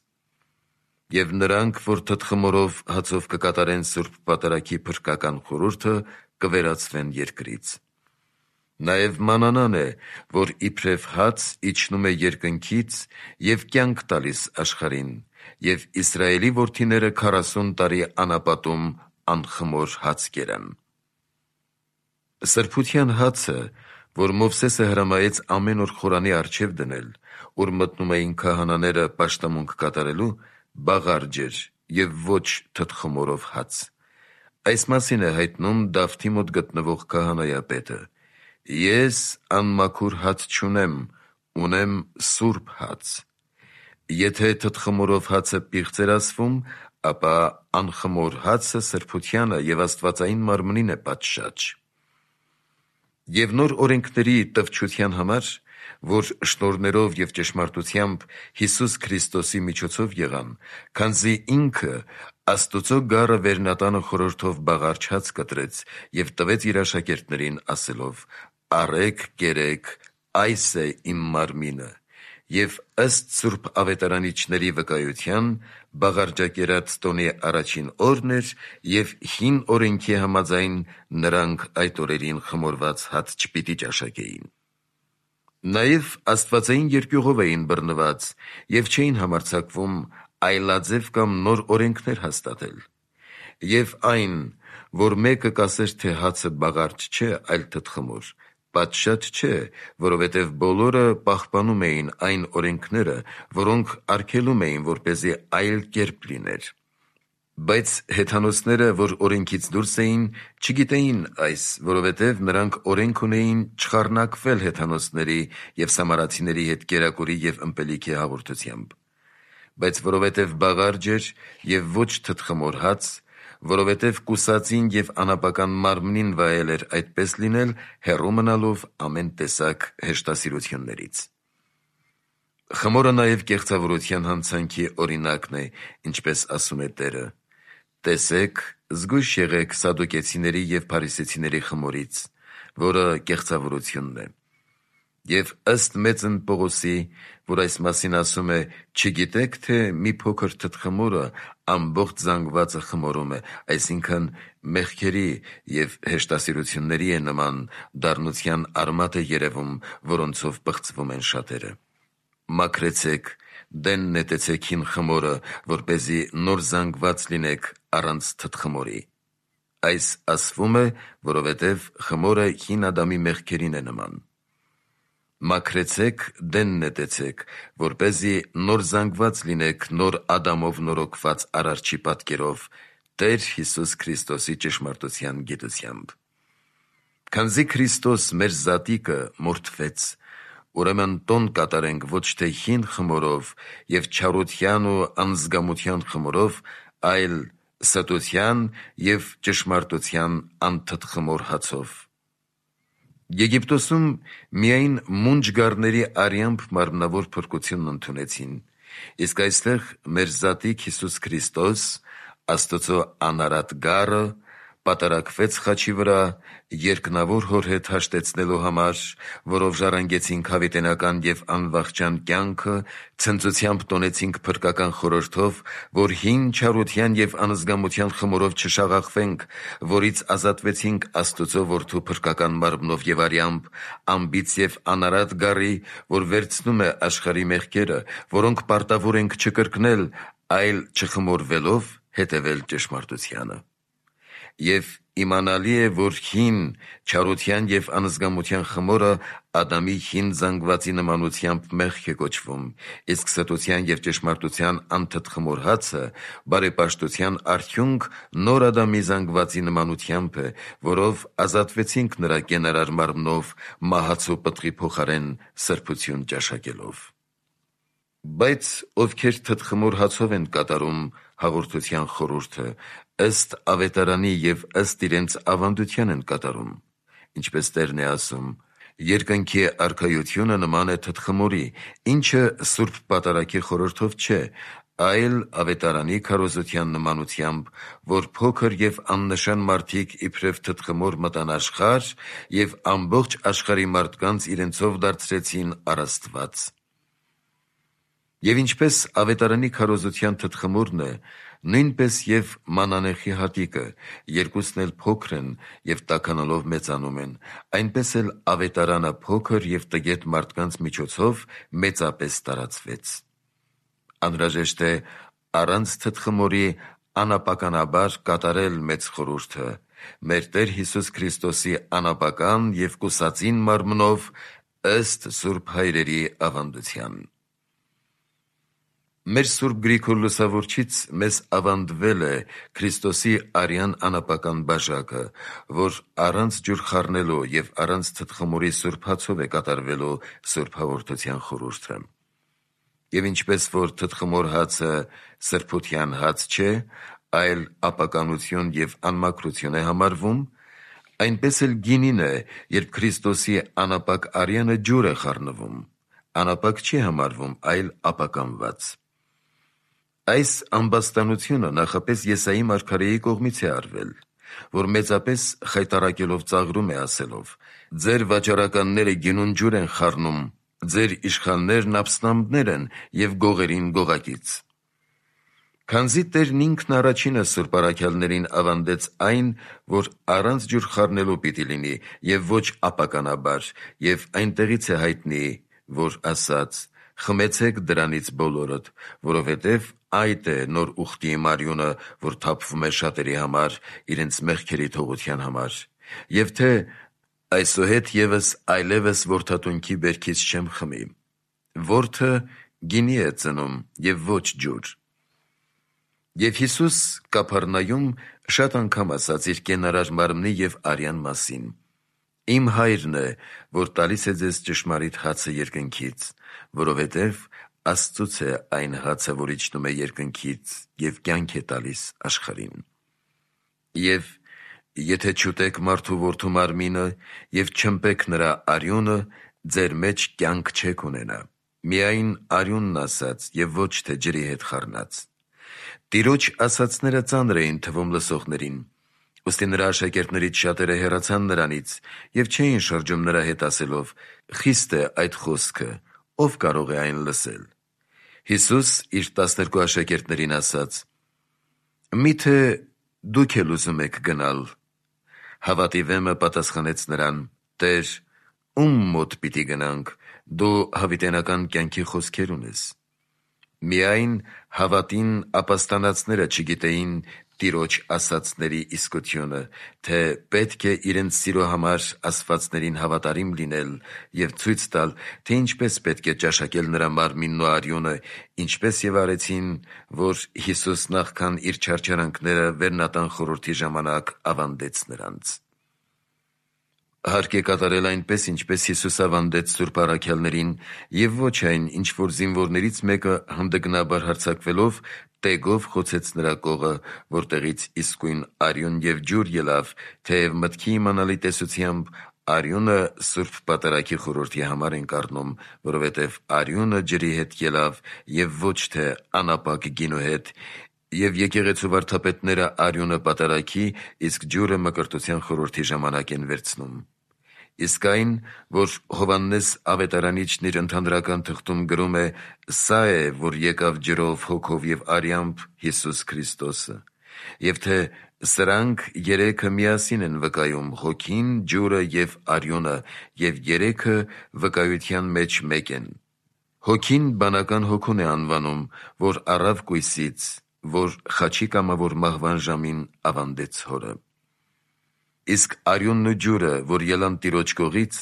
Եվ նրանք, որ թտխմորով հացով կկատարեն Սուրբ Պատարագի փրկական խորհուրդը, կվերացվեն երկրից։ Նաև մանանան է, որ իբրև հաց իջնում է երկնքից և կյանք տալիս աշխարհին, և Իսրայելի որդիները 40 տարի անապատում անխմոր հաց կերան։ Սրբության հացը, որ Մովսեսը հրամայեց ամեն օր խորանի առջև դնել, ուր մտնում էին քահանաները պաշտամունք կատարելու, բաղարջ էր և ոչ թտխմորով հաց։ Այս մասին է հայտնում Դավթի մոտ գտնվող քահանայապետը. «Ես անմաքուր հաց չունեմ, ունեմ սուրբ հաց»։ Եթե թտխմորով հացը պիղծ էր ասվում, ապա անխմոր հացը սրբությանը և աստվածային մարմնին է պատշաճ։ Եվ նոր օրենքների տվչության համար, որ շնորհներով և ճշմարտությամբ Հիսուս Քրիստոսի միջոցով եղան, քանզի ինքը Աստուծո գառը վերնատանը խորհրդով բաղարջ հաց կտրեց և տվեց իր աշակերտներին ասելով. «Առեք, կերեք, այս է իմ մարմինը»։ Եվ ըստ Սուրբ Ավետարանիչների վկայության, բաղարջակերած տոնի առաջին օրն էր, և հին օրենքի համաձայն նրանք այդ օրերին խմորված հաց չպիտի ճաշակեին։ Նաև աստվածային երկյուղով էին բռնված և չէին համարձակվում այլաձև կամ նոր օրենքներ հաստատել։ Եվ այն, որ մեկը կասեր, թե հացը բաղարդ չէ, այլ թտխմոր, պատշաճ չէ, որովհետև բոլորը պահպանում էին այն օրենքները, որոնք արգելում էին, որպեսզի այլ կերպ լիներ։ Բայց հեթանոսները, որ օրենքից դուրս էին, չգիտեին այս, որովհետև նրանք օրենք ունեին չխառնակվել հեթանոսների և սամարացիների հետ կերակուրի և ըմպելիքի հաղորդությամբ։ Բայց որովհետև բաղարջ էր և ոչ թտխմոր հաց, որովհետև կուսածին և անապական մարմնին վայել էր այդպես լինել, հեռու մնալով ամեն տեսակ հեշտասիրություններից։ Խմորը նաև կեղծավորության հանցանքի օրինակն է, ինչպես ասում է Տերը. «Տեսեք, զգույշ եղեք սադուկեցիների և փարիսեցիների խմորից, որը կեղծավորությունն է»։ Եվ ըստ մեծն Պողոսի, որ այս մասին ասում է, չգիտեք, թե մի փոքր թտխմորը ամբողջ զանգվածը խմորում է, այսինքն մեղքերի և հեշտասիրությունների է նման, դառնության արմատ է երևում, որոնցով պղծվում են շատերը։ Մաքրեցեք, դեն նետեցեք հին խմորը, որպեսզի նոր զանգված լինեք առանց թտխմորի։ Այս ասվում է, որովհետև խմորը հին Ադամի մեղքերին է նման։ Մաքրեցեք, դեն նետեցեք, որպեսզի նոր զանգված լինեք նոր Ադամով նորոգված Արարչի պատկերով, Տեր Հիսուս Քրիստոսի ճշմարտության գիտությամբ։ Քանզի Քրիստոս մեր զատիկը մորթվեց, ուրեմն տոն կատարենք ոչ թե հին խմորով և չարության ու անզգամության խմորով, այլ ստության և ճշմարտության անթտխմոր հացով։ Եգիպտոսում միայն մունջ-գառների արյամբ մարմնավոր փրկությունն ընդունեցին, իսկ այստեղ մեր զատիկ Հիսուս Քրիստոս, Աստծո անարատ գառը, պատարակվեց խաչի վրա երկնավոր Հոր հետ հաշտեցնելու համար, որով ժառանգեցինք հավիտենական և անվախճան կյանքը, ցնծությամբ տոնեցինք փրկական խորհրդով, որ հին չարության և անզգամության խմորով չշաղախվենք, որից ազատվեցինք Աստծո Որդու փրկական մարմնով և արյամբ, անբիծ և անարատ գառի, որ վերցնում է աշխարհի մեղքերը, որոնք պարտավոր ենք չկրկնել, այլ չխմորվելով հետևել ճշմարտությանը։ Եվ իմանալի է, որ հին չարության և անզգամության խմորը Ադամի հին զանգվածի նմանությամբ մեղք է կոչվում, իսկ ստության և ճշմարտության անթտխմոր հացը բարեպաշտության արդյունք նոր Ադամի զանգվածի նմանությամբ է, որով ազատվեցինք նրա կենարար մարմնով մահացու պտղի փոխարեն սրբություն ճաշակելով։ Բայց ովքեր թտխմոր հացով են կատարում հաղորդության խորհուրդը, ըստ ավետարանի և ըստ իրենց ավանդության են կատարում, ինչպես Տերն է ասում. «Երկնքի արքայությունը նման է թտխմորի, ինչը սուրբ պատարագի խորհրդով չէ, այլ ավետարանի քարոզության նմանությամբ, որ փոքր և աննշան մարդիկ իբրև թտխմոր մտան աշխարհ և ամբողջ աշխարհի մարդկանց իրենցով դարձրեցին առ Աստված։ Եվ ինչպես ավետարանի քարոզության թտխմորն է, նույնպես և մանանեխի հատիկը, երկուսն էլ փոքր են և տաքանալով մեծանում են, այնպես էլ ավետարանը փոքր և տգետ մարդկանց միջոցով մեծապես տարածվեց։ Անհրաժեշտ է առանց թտխմորի անապականաբար կատարել մեծ խորհուրդը, մեր Տեր Հիսուս Քրիստոսի անապական և կուսածին մարմնով, ըստ Սուրբ Հայրերի ավանդության։ Մեր Սուրբ Գրիգոր Լուսավորչից մեզ ավանդվել է Քրիստոսի արյան անապական բաժակը, որ առանց ջուր խառնելու և առանց թտխմորի սուրբ հացով է կատարվելու սուրբ հաղորդության խորհուրդը։ Եվ ինչպես որ թտխմոր հացը սրբության հաց չէ, այլ ապականություն և անմաքրություն է համարվում, այնպես էլ գինին է, երբ Քրիստոսի անապակ արյանը ջուր է խառնվում, անապակ չի համարվում, այլ ապականված։ Այս ամբաստանությունը նախապես Եսայի մարգարեի կողմից է արվել, որ մեծապես խայտառակելով ծաղրում է ասելով. «Ձեր վաճառականները գինուն ջուր են խառնում, ձեր իշխաններն աբստամբներ են և գողերին գողակից»։ Քանզի Տերն ինքն առաջինը սուրբ առաքյալներին ավանդեց այն, որ առանց ջուր խառնելու պիտի լինի և ոչ ապականաբար, և այնտեղից է հայտնի, որ ասաց. խմեցեք դրանից բոլորդ, որովհետև այդ է նոր ուխտի արյունը, որ թափվում է շատերի համար, իրենց մեղքերի թողության համար, եւ թե այսուհետ ևս այլևս որդատունքի բերքից չեմ խմի. որդը գինի է ծնում եւ ոչ ջուր։ Եվ Հիսուս Կափառնայում շատ անգամ ասաց իր կենարար մարմնի եւ արյան մասին. «Իմ հայրն է, որ տալիս է ձեզ ճշմարիտ հացը երկնքից, որովհետև Աստծուց է այն հացը, որ իջնում է երկնքից եւ կյանք է տալիս աշխարհին։ Եվ եթե չուտեք մարդու որդու մարմինը եւ չըմպեք նրա արյունը, ձեր մեջ կյանք չեք ունենա, միայն արյունն ասած եւ ոչ թե ջրի հետ խառնած»։ Տիրոջ ասածները ծանր էին թվում լսողներին, ուստի նրա աշակերտներից շատերը հեռացան նրանից եւ չէին շրջում նրա հետ ասելով. «Խիստ է այդ խոսքը, ով կարող է այն լսել»։ Հիսուս իր 12 աշակերտներին ասաց. «Միթե դուք էլ ուզում եք գնալ»։ Հավատի վեմը պատասխանեց նրան. «Տեր, ում մոտ պիտի գնանք, դու հավիտենական կյանքի խոսքեր ունես»։ Միայն հավատին ապաստանածները չգիտեին Տիրոջ ասածների իսկությունը, թե պետք է իրենց սիրո համար ասվածներին հավատարիմ լինել եւ ցույց տալ, թե ինչպես պետք է ճաշակել նրա մարմինն ու արյունը, ինչպես եւ արեցին, որ Հիսուս նախքան իր չարչարանքները վերնատան խորհրդի ժամանակ ավանդեց նրանց։ Հարկ է կատարել այնպես, ինչպես Հիսուս ավանդեց սուրբ առաքյալներին, եւ ոչ այն, ինչ որ զինվորներից մեկը հանդգնաբար հարձակվելով տեգով խոցեց նրա կողը, որտեղից իսկույն արյուն եւ ջուր ելավ, թեև մտքի իմանալի տեսությամբ արյունը սուրբ պատարագի խորհրդի համար ենք առնում, որովհետև արյունը ջրի հետ ելավ եւ ոչ թե անապակ գինու հետ, եւ եկեղեցու վարդապետները արյունը պատարագի, իսկ ջուրը մկրտության խորհրդի ժամանակ են վերցնում։ Իսկ այն, որ Հովհաննես Ավետարանիչն իր ընդհանրական թղթում գրում է, սա է, որ եկավ ջրով, հոգով եւ արյամբ Հիսուս Քրիստոսը, եւ թե սրանք երեքը միասին են վկայում, հոգին, ջուրը եւ արյունը, եւ երեքը վկայության մեջ մեկ են։ Հոգին բանական հոգուն է անվանում, որ առավ կույսից, որ խաչի կամավոր մահվան ժամին ավանդեց հորը։ Իսկ արյունն ու ջուրը, որ ելան Տիրոջ կողից,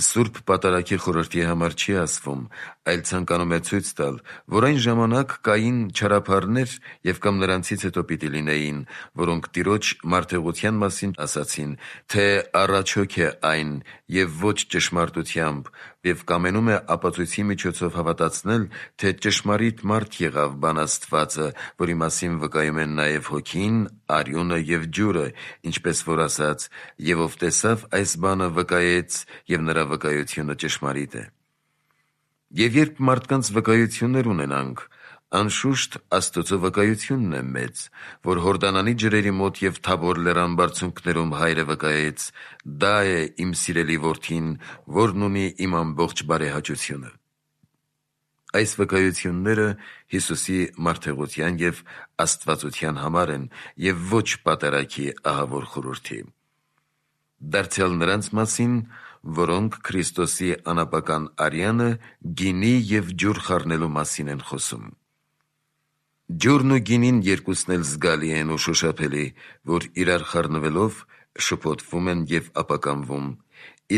սուրբ պատարագի խորհրդի համար չի ասվում, այլ ցանկանում է ցույց տալ, որ այն ժամանակ կային չարաբարներ եւ կամ նրանցից հետո պիտի լինեին, որոնք Տիրոջ մարդեղության մասին ասացին, թե առաջոք է այն եւ ոչ ճշմարտությամբ, եւ կամենում է ապացույցի միջոցով հավատացնել, թե ճշմարիտ մարդ եղավ բան Աստվածը, որի մասին վկայում են նաեւ հոգին, արյունը եւ ջուրը, ինչպես որ ասաց, եւ ով տեսավ այս բանը վկայեց, եւ նրա վկայությունը ճշմարիտ է։ Եվ երբ մարդկանց վկայություններ ունենանք, անշուշտ Աստծո վկայությունն է մեծ, որ Հորդանանի ջրերի մոտ եւ Թաբոր լեռան բարձունքներում Հայրը վկայեց. դա է իմ սիրելի որդին, որն ունի իմ ամբողջ բարեհաճությունը։ Այս վկայությունները Հիսուսի մարդեղության եւ աստվածության համար են եւ ոչ պատարագի ահավոր խորհրդի։ Դարձյալ նրանց մասին, որոնք Քրիստոսի անապական արյանը գինի եւ ջուր խառնելու մասին են խոսում։ Ջուրն ու գինին երկուսն էլ զգալի են ու շոշափելի, որ իրար խառնվելով շփոթվում են եւ ապականվում,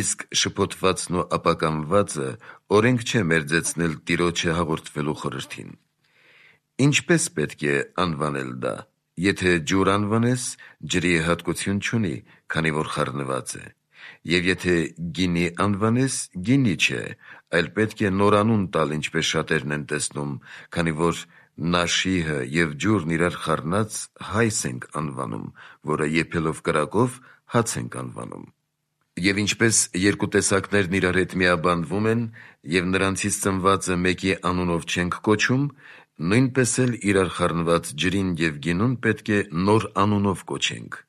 իսկ շփոթվածն ու ապականվածը օրենք չէ մերձեցնել Տիրոջը հաղորդվելու խորհրդին։ Ինչպես պետք է անվանել դա։ Եթե ջուր անվանես, ջրի հատկություն չունի, քանի որ խառնված է, եւ եթե գինի անվանես, գինի չէ, այլ պետք է նոր անուն տալ, ինչպես շատերն են տեսնում, քանի որ նաշիհը եւ ջուրն իրար խառնած հայս ենք անվանում, որը եփելով կրակով հաց ենք անվանում։ Եվ ինչպես երկու տեսակներն իրար հետ միաբանվում են, եւ նրանցից ծնվածը մեկի անունով չենք կոչում, նույնպես էլ իրար խառնված ջրին եւ գինուն պետք է նոր անունով կոչենք։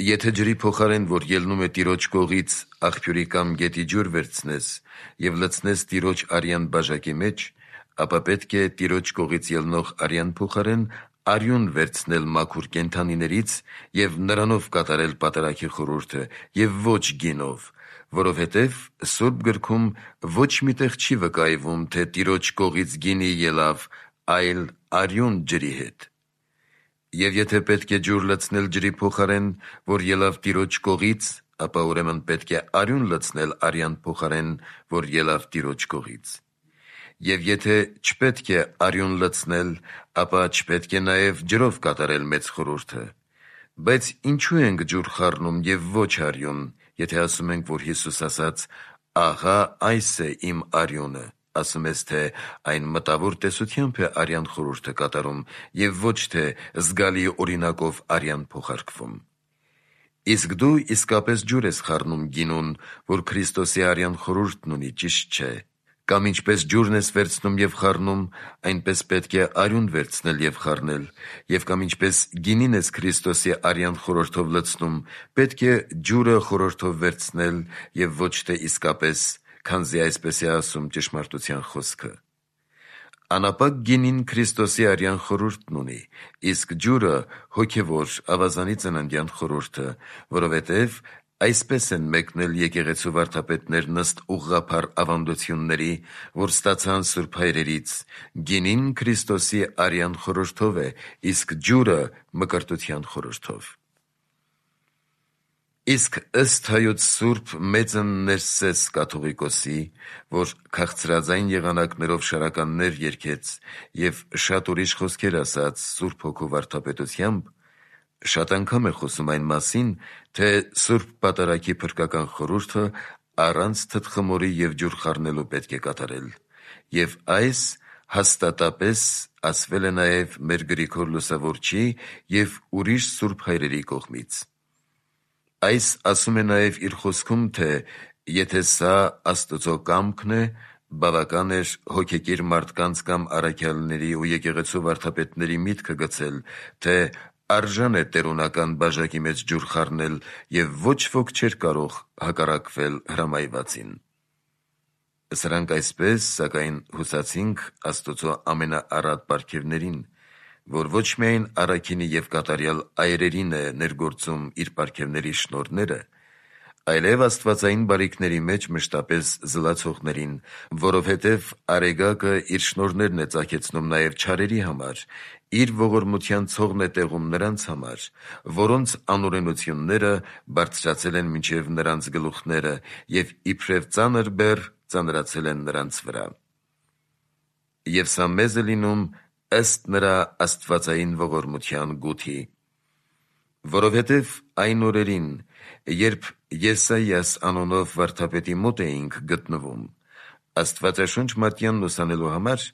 Եթե ջրի փոխարեն, որ ելնում է Տիրոջ կողից, աղբյուրի կամ գետի ջուր վերցնես եւ լցնես Տիրոջ արյան բաժակի մեջ, ապա պետք է Տիրոջ կողից ելնող արյան փոխարեն արյուն վերցնել մաքուր կենդանիներից եւ նրանով կատարել պատարագի խորհուրդը եւ ոչ գինով, որովհետև Սուրբ գրքում ոչ միտեղ չի վկայվում, թե Տիրոջ կողից գինի ելավ, այլ արյուն ջրի հետ։ Եվ եթե պետք է ջուր լցնել ջրի փոխարեն, որ ելավ Տիրոջ կողից, ապա ուրեմն պետք է արյուն լցնել արյան փոխարեն, որ ելավ Տիրոջ կողից։ Եվ եթե չպետք է արյուն լցնել, ապա չպետք է նաև ջրով կատարել մեծ խորհուրդը։ Բայց ինչու ենք ջուր խառնում և ոչ արյուն, եթե ասում ենք, որ Հիսուս ասաց. «Ահա այս է իմ արյունը», ասում ես, թե այն մտավոր տեսությամբ է արյան խորհուրդը կատարում և ոչ թե զգալի օրինակով արյան փոխարկվում։ Իսկ դու իսկապես ջուր ես խառնում գինուն, որ Քրիստոսի արյան խորհուրդն ունի, ճիշտ չէ։ Կամ ինչպես ջուրն ես վերցնում և խառնում, այնպես պետք է արյուն վերցնել և խառնել, և կամ ինչպես գինին ես Քրիստոսի արյան խորհրդով լցնում, պետք է ջուրը խորհրդով վերցնել և ոչ թե իսկապես, քանզի այսպես է ասում ճշմարտության խոսքը։ Անապակ գինին Քրիստոսի արյան խորհուրդն ունի, իսկ ջուրը հոգևոր ավազանի ծննդյան խորհուրդը, որովհետև այսպես են մեկնել եկեղեցու վարդապետներն ըստ ուղղափառ ավանդությունների, որ ստացան սուրբ հայրերից. գինին Քրիստոսի արյան խորհրդով է, իսկ ջուրը մկրտության խորհրդով։ Իսկ ըստ Հայոց Սուրբ մեծն Ներսես կաթողիկոսի, որ քաղցրաձայն եղանակներով շարականներ երգեց և շատ ուրիշ խոսքեր ասաց Սուրբ Հոգու վարդապետությամբ, շատ անգամ է խոսում այն մասին, թե Սուրբ Պատարագի փրկական խորհուրդը առանց թթխմորի և ջուր խառնելու պետք է կատարել, և այս հաստատապես ասվել է նաև մեր Գրիգոր Լուսավորչի և ուրիշ սուրբ հայրերի կողմից։ Այս ասում է նաև իր խոսքում, թե եթե սա Աստծո կամքն է, բավական էր հոգեկիր մարդկանց կամ առաքյալների ու եկեղեցու վարդապետների միտքը գցել, թե արժան է տերունական բաժակի մեջ ջուր խառնել և ոչ ոք չէր կարող հակառակվել հրամայվածին։ Սրանք այսպես, սակայն հուսացինք Աստծո ամենաառատ պարգևներին, որ ոչ միայն առաքինի և կատարյալ այրերին է ներգործում իր պարգևների շնորհները, այլև աստվածային բարիքների մեջ մշտապես զլացողներին, որովհետև Արեգակը իր շնորհներն է ծագեցնում նաև չարերի համար, իր ողորմության ցողն է տեղում նրանց համար, որոնց անօրենությունները բարձրացել են մինչև նրանց գլուխները և իբրև ծանր բեռ ծանրացել են նրանց վրա։ Եվ սա մեզ է լինում ըստ նրա աստվածային ողորմության գութի։ Որովհետև այն օրերին, երբ Եսայիաս անունով վարդապետի մոտ էինք գտնվում, Աստվածաշունչ մատյանն ուսանելու համար,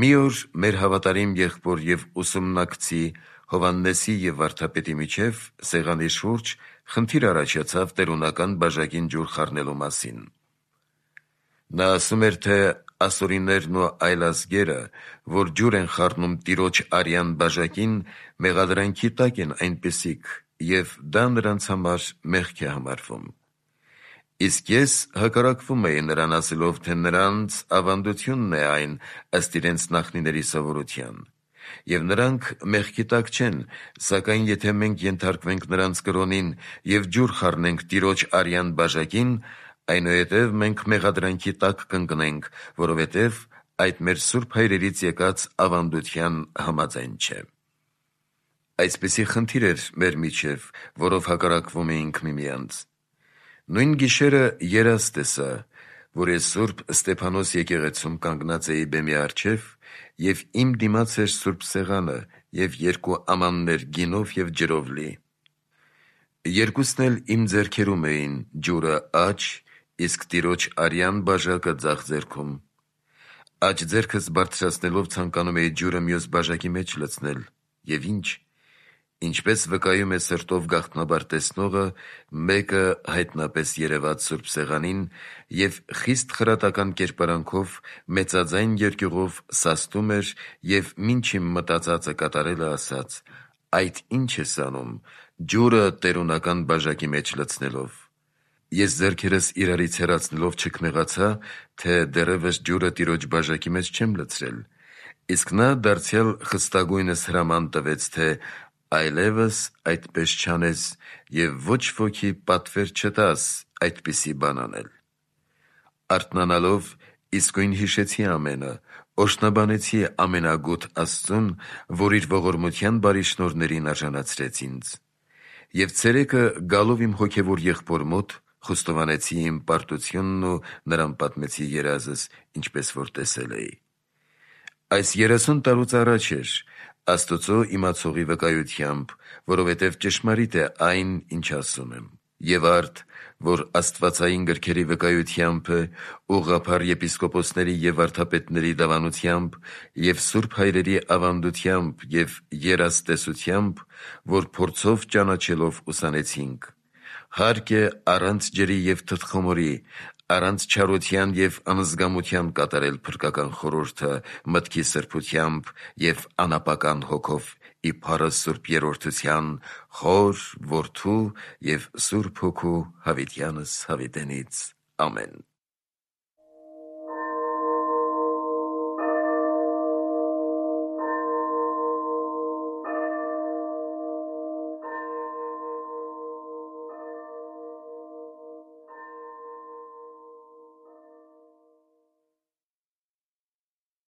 մի օր մեր հավատարիմ եղբոր և ուսումնակցի Հովհաննեսի և վարդապետի միջև սեղանի շուրջ խնդիր առաջացավ տերունական բաժակին ջուր խառնելու մասին։ Նա ասում էր, թե ասորիներն ու այլ ազգերը, որ ջուր են խառնում Տիրոջ արյան բաժակին, մեղադրանքի տակ են այնպիսիք, և դա նրանց համար մեղք է համարվում։ Իսկ ես հակառակվում էի նրան ասելով, թե նրանց ավանդությունն է այն ըստ իրենց նախնիների սովորության, և նրանք մեղքի տակ չեն, սակայն եթե մենք ենթարկվենք նրանց կրոնին և ջուր խառնենք Տիրոջ արյան բաժակին, այնուհետև մենք մեղադրանքի տակ կընկնենք, որովհետև այդ մեր սուրբ հայրերից եկած ավանդության համաձայն չէ։ Այսպիսի խնդիր էր մեր միջև, որով հակառակվում էինք միմյանց։ Նույն գիշերը երազ տեսա, որ ես Սուրբ Ստեփանոս եկեղեցում կանգնած էի բեմի առջև, և իմ դիմաց էր սուրբ սեղանը և երկու ամաններ գինով և ջրով լի։ Երկուսն էլ իմ ձեռքերում էին, ջուրը աջ, իսկ Տիրոջ արյան բաժակը ձախ ձեռքում։ Աջ ձեռքս բարձրացնելով ցանկանում էի ջուրը մյուս բաժակի մեջ լցնել, և ինչպես վկայում է սրտով գաղտնաբար տեսնողը, մեկը հայտնապես երևաց սուրբ սեղանին և խիստ խրատական կերպարանքով մեծաձայն երկյուղով սաստում էր և մինչ իմ մտածածը կատարելը ասաց. «Այդ ի՞նչ ես անում, ջուրը տերունական բաժակի մեջ լցնելով»։ Ես ձեռքերս իրարից հեռացնելով չքնեղացա, թե դեռևս ջուրը Տիրոջ բաժակի մեջ չեմ լցրել, իսկ նա դարձյալ խստագույնս հրաման տվեց, թե այլևս այդպես չանես և ոչ ոքի պատվեր չտաս այդպիսի բան անել։ Արթնանալով իսկույն հիշեցի ամենը, օրհնաբանեցի ամենագութ Աստծուն, որ իր ողորմության բարի շնորհներին արժանացրեց ինձ։ Եվ ցերեկը գալով իմ հոգևոր եղբոր մոտ, խոստովանեցի իմ պարտությունն ու նրան պատմեցի երազս, ինչպես որ տեսել էի։ Այս 30 տարուց առաջ էր, Աստծո իմացողի վկայությամբ, որովհետև ճշմարիտ է այն, ինչ ասում եմ։ Եվ արդ, որ աստվածային գրքերի վկայությամբ է, ուղղափառ եպիսկոպոսների և վարդապետների դավանությամբ և սուրբ հայրերի ավանդությամբ և երաստեսությամբ, որ փորձով ճանաչելով ուսանեցինք, հարկ է առանց ջրի և թթխոմորի, առանց չարության և անզգամության կատարել փրկական խորհուրդը մտքի սրբությամբ և անապական հոգով ի փառը Սուրբ Երրորդության, Հոր, Որդու և Սուրբ Հոգու հավիտյանս հավիտենից։ Ամեն։